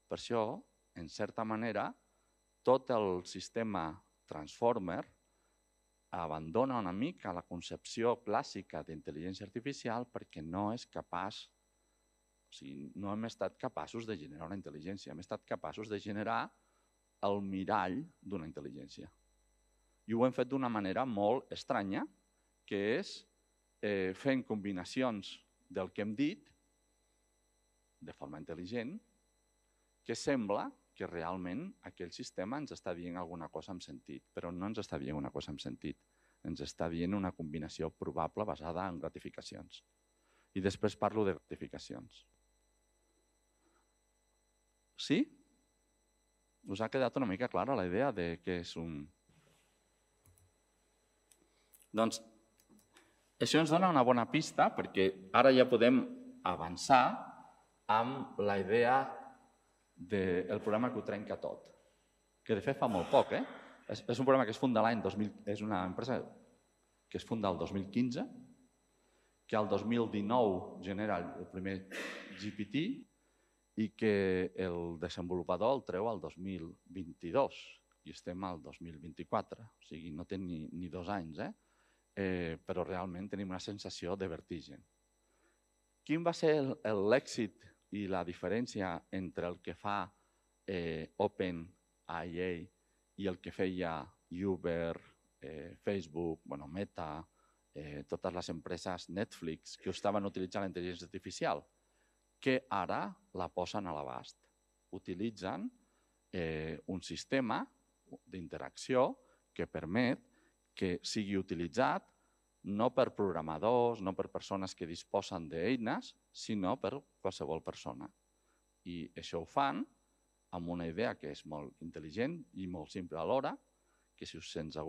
Per això, en certa manera, tot el sistema Transformer abandona una mica la concepció clàssica d'intel·ligència artificial perquè no és capaç, o sigui, no hem estat capaços de generar una intel·ligència, hem estat capaços de generar el mirall d'una intel·ligència. I ho hem fet d'una manera molt estranya, que és fent combinacions del que hem dit de forma intel·ligent, que sembla que realment aquell sistema ens està dient alguna cosa amb sentit, però no ens està dient una cosa amb sentit, ens està dient una combinació probable basada en gratificacions. I després parlo de gratificacions. Sí? Us ha quedat una mica clara la idea de què és un... Doncs això ens dona una bona pista perquè ara ja podem avançar amb la idea del programa que ho trenca tot, que de fet fa molt poc. És un programa que es funda l'any 2000, és una empresa que es funda el 2015, que al 2019 genera el primer GPT i que el desenvolupador el treu al 2022 i estem al 2024, o sigui, no té ni 2 anys, però realment tenim una sensació de vertigen. Quin va ser l'èxit i la diferència entre el que fa OpenAI i el que feia Uber, Facebook, Meta, totes les empreses Netflix que estaven utilitzant la intel·ligència artificial, que ara la posen a l'abast. Utilitzen un sistema d'interacció que permet que sigui utilitzat no per programadors, no per persones que disposen d'eines, sinó per qualsevol persona. I això ho fan amb una idea que és molt intel·ligent i molt simple alhora, que si se'ns ha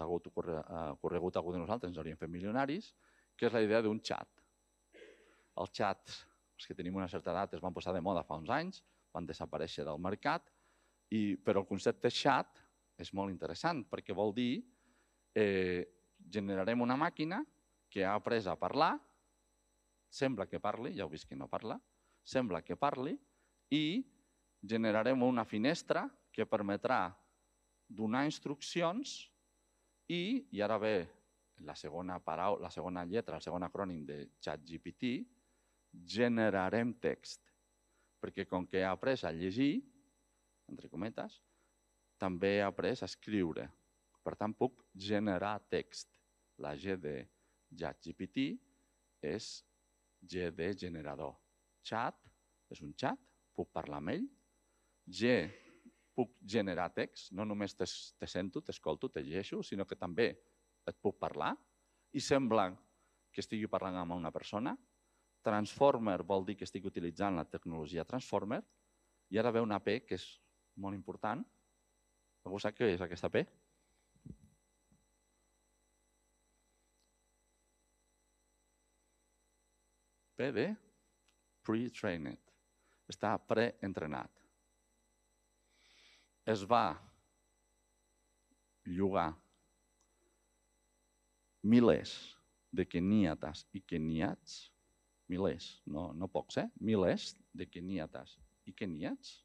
ocorregut algú de nosaltres ens hauríem fet milionaris, que és la idea d'un xat. Els xats, els que tenim una certa edat, es van posar de moda fa uns anys, van desaparèixer del mercat, però el concepte xat és molt interessant perquè vol dir generarem una màquina que ha après a parlar, sembla que parli, ja heu vist que no parla, sembla que parli, i generarem una finestra que permetrà donar instruccions i ara ve la segona lletra, el segon acrònim de ChatGPT, generarem text. Perquè com que ha après a llegir, entre cometes, també ha après a escriure. Per tant, puc generar text. La G de ChatGPT és G de generador. Chat és un xat, puc parlar amb ell. G, puc generar text, no només te sento, t'escolto, te llegeixo, sinó que també et puc parlar i sembla que estigui parlant amb una persona. Transformer vol dir que estic utilitzant la tecnologia Transformer i ara ve una P que és molt important. Algú sap què és aquesta P? P de pre-trained. Està preentrenat. Es va llogar milers de keníates i keniats, milers, no pocs, milers de keníates i keniats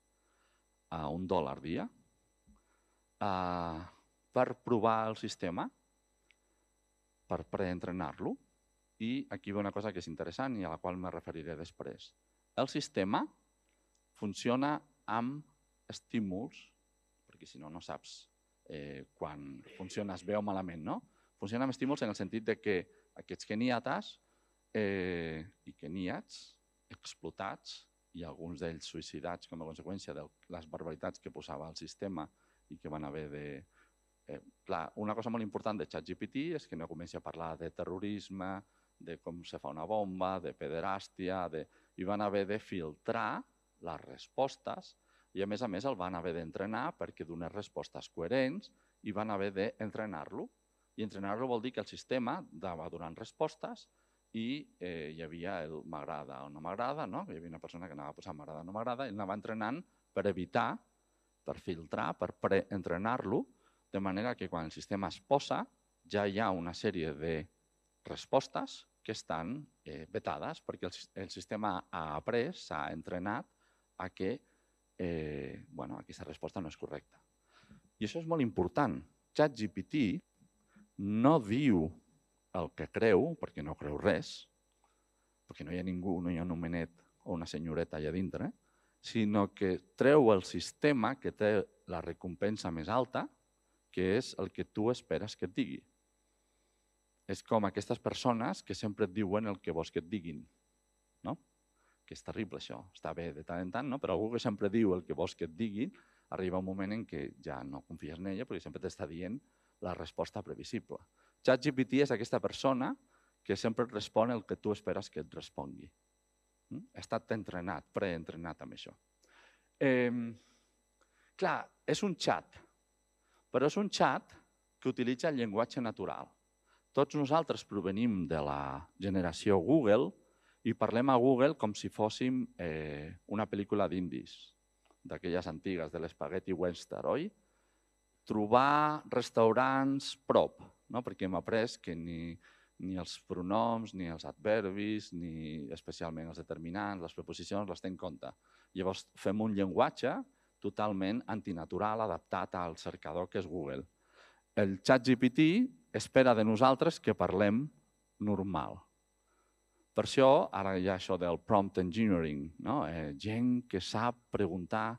a $1 dia per provar el sistema, per preentrenar-lo. I aquí ve una cosa que és interessant i a la qual me referiré després. El sistema funciona amb estímuls, perquè si no, no saps quan funciona bé o malament, no? Funciona amb estímuls en el sentit que aquests keniates i keníats explotats i alguns d'ells suïcidats com a conseqüència de les barbaritats que posava el sistema i que van haver de... Clar, una cosa molt important de ChatGPT és que no comenci a parlar de terrorisme, de com se fa una bomba, de pederàstia, i van haver de filtrar les respostes i a més el van haver d'entrenar perquè donés respostes coherents i van haver d'entrenar-lo. I entrenar-lo vol dir que el sistema anava donant respostes i hi havia el m'agrada o no m'agrada, no? Hi havia una persona que anava posant m'agrada o no m'agrada i anava entrenant per evitar, per filtrar, per preentrenar-lo, de manera que quan el sistema es posa ja hi ha una sèrie de respostes que estan vetades perquè el sistema ha après, s'ha entrenat a que aquesta resposta no és correcta. I això és molt important. ChatGPT no diu el que creu, perquè no creu res, perquè no hi ha ningú, no hi ha un homenet o una senyoreta allà dintre, sinó que treu el sistema que té la recompensa més alta, que és el que tu esperes que et digui. És com aquestes persones que sempre et diuen el que vols que et diguin, no? Que és terrible això, està bé de tant en tant, no? Però algú que sempre diu el que vols que et diguin, arriba un moment en què ja no confies en ella perquè sempre t'està dient la resposta previsible. ChatGPT és aquesta persona que sempre et respon el que tu esperes que et respongui. Ha estat entrenat, preentrenat amb això. Clar, és un xat, però és un xat que utilitza el llenguatge natural. Tots nosaltres provenim de la generació Google i parlem a Google com si fóssim una pel·lícula d'indis, d'aquelles antigues, de l'Spaghetti Western, oi? Trobar restaurants prop, no? Perquè hem après que ni els pronoms, ni els adverbis, ni especialment els determinants, les preposicions, les té en compte. Llavors fem un llenguatge totalment antinatural, adaptat al cercador que és Google. El ChatGPT espera de nosaltres que parlem normal. Per això, ara hi ha això del prompt engineering, no? Gent que sap preguntar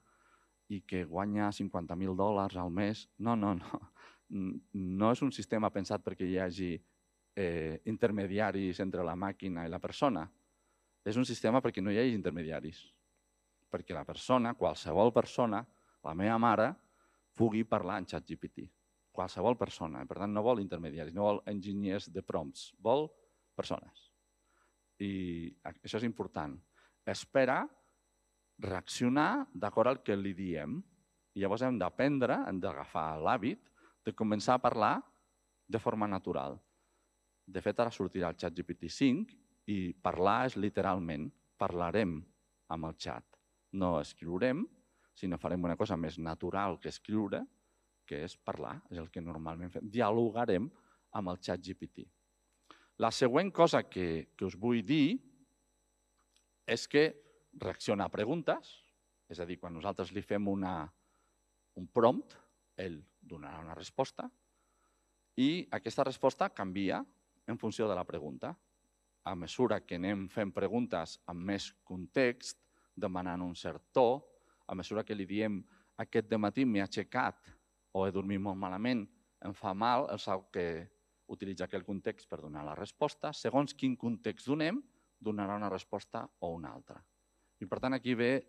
i que guanya $50.000 al mes. No. No és un sistema pensat perquè hi hagi intermediaris entre la màquina i la persona. És un sistema perquè no hi hagi intermediaris. Perquè la persona, qualsevol persona, la meva mare, pugui parlar en ChatGPT. Qualsevol persona. Per tant, no vol intermediaris, no vol enginyers de prompts, vol persones. I això és important. Espera reaccionar d'acord al que li diem. I llavors hem d'aprendre, hem d'agafar l'hàbit de començar a parlar de forma natural. De fet, ara sortirà el ChatGPT 5 i parlar és literalment, parlarem amb el xat. No escriurem, sinó farem una cosa més natural que escriure, que és parlar, és el que normalment fem. Dialogarem amb el ChatGPT. La següent cosa que us vull dir és que reacciona a preguntes, és a dir, quan nosaltres li fem un prompt, ell donarà una resposta i aquesta resposta canvia en funció de la pregunta. A mesura que anem fent preguntes amb més context, demanant un cert to, a mesura que li diem aquest dematí m'he aixecat o he dormit molt malament, em fa mal, el sap que utilitza aquell context per donar la resposta. Segons quin context donem, donarà una resposta o una altra. I per tant, aquí ve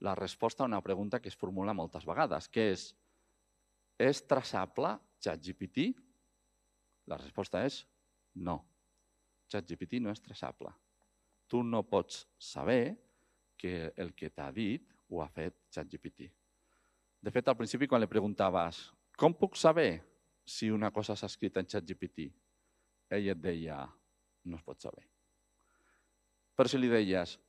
la resposta a una pregunta que es formula moltes vegades, que és traçable ChatGPT? La resposta és no. ChatGPT no és traçable. Tu no pots saber que el que t'ha dit ho ha fet ChatGPT. De fet, al principi, quan li preguntaves com puc saber si una cosa s'ha escrit en ChatGPT, ell et deia no es pot saber. Però si li deies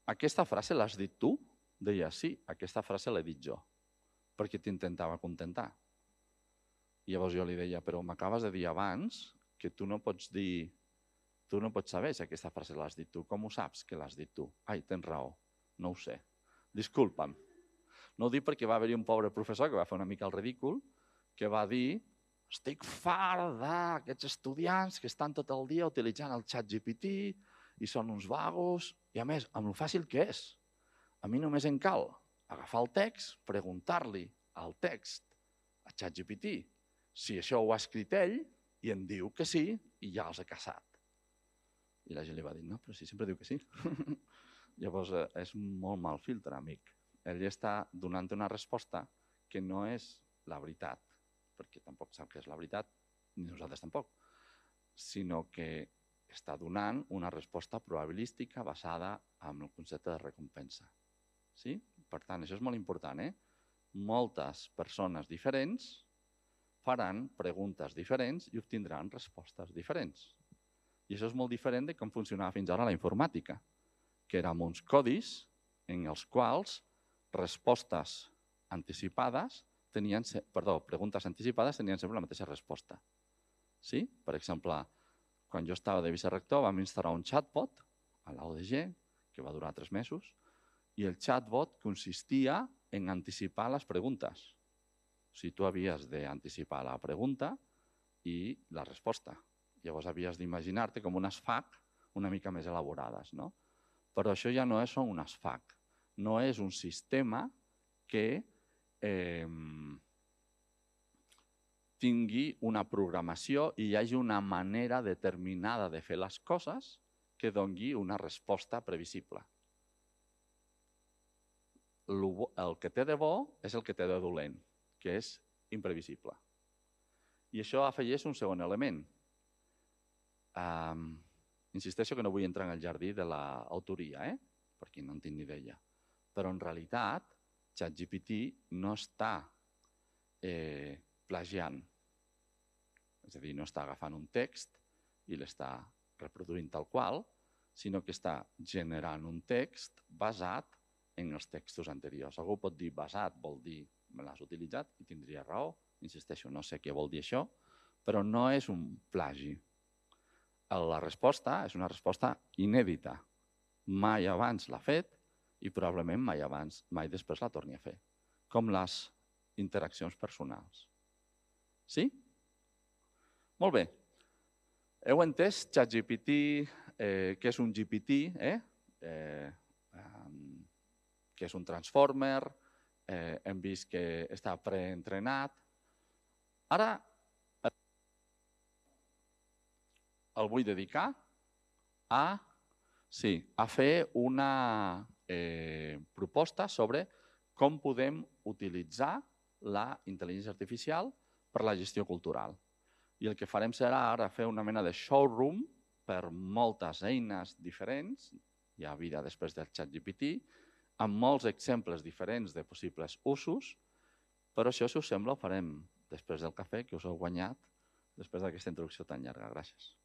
aquesta frase l'has dit tu? Deia sí, aquesta frase l'he dit jo, perquè t'intentava contentar. I llavors jo li deia, però m'acabes de dir abans que tu no pots dir, tu no pots saber si aquesta frase l'has dit tu. Com ho saps que l'has dit tu? Ai, tens raó, no ho sé. Disculpa'm. No ho dic perquè va haver-hi un pobre professor que va fer una mica el ridícul, que va dir estic fart d'aquests estudiants que estan tot el dia utilitzant el ChatGPT i són uns vagos, i a més, amb el fàcil que és. A mi només em cal agafar el text, preguntar-li al text a ChatGPT si això ho ha escrit ell i em diu que sí i ja els he caçat. I la gent li va dir, no, però si sempre diu que sí. Llavors, és molt mal filtre, amic. Ell està donant una resposta que no és la veritat, perquè tampoc sap què és la veritat, ni nosaltres tampoc, sinó que està donant una resposta probabilística basada en el concepte de recompensa. Sí? Per tant, això és molt important. Moltes persones diferents faran preguntes diferents i obtindran respostes diferents. I això és molt diferent de com funcionava fins ara la informàtica, que eren uns codis en els quals preguntes anticipades tenien sempre la mateixa resposta. Sí? Per exemple, quan jo estava de vicerrector vam instal·lar un chatbot a la UDG, que va durar 3 mesos, i el chatbot consistia en anticipar les preguntes. O sigui, tu havies d'anticipar la pregunta i la resposta. Llavors havies d'imaginar-te com unes FAQ una mica més elaborades. Però això ja no són unes FAQ. No és un sistema que tingui una programació i hi hagi una manera determinada de fer les coses que doni una resposta previsible. El que té de bo és el que té de dolent, que és imprevisible. I això afegeix un segon element. Insisteixo que no vull entrar en el jardí de l'autoria, perquè no en tinc ni idea. Però en realitat, ChatGPT no està plagiant. És a dir, no està agafant un text i l'està reproduint tal qual, sinó que està generant un text basat en els textos anteriors. Algú pot dir basat, vol dir me l'has utilitzat i tindria raó. Insisteixo, no sé què vol dir això, però no és un plagi. La resposta és una resposta inèdita. Mai abans l'ha fet i probablement mai després la torni a fer. Com les interaccions personals. Sí? Molt bé. Heu entès ChatGPT, què és un GPT, què és un transformer, hem vist que està preentrenat. Ara el vull dedicar a fer una proposta sobre com podem utilitzar la intel·ligència artificial per a la gestió cultural. I el que farem serà ara fer una mena de showroom per moltes eines diferents, hi ha vida després del ChatGPT, amb molts exemples diferents de possibles usos, però això, si us sembla, ho farem després del cafè que us heu guanyat després d'aquesta introducció tan llarga. Gràcies.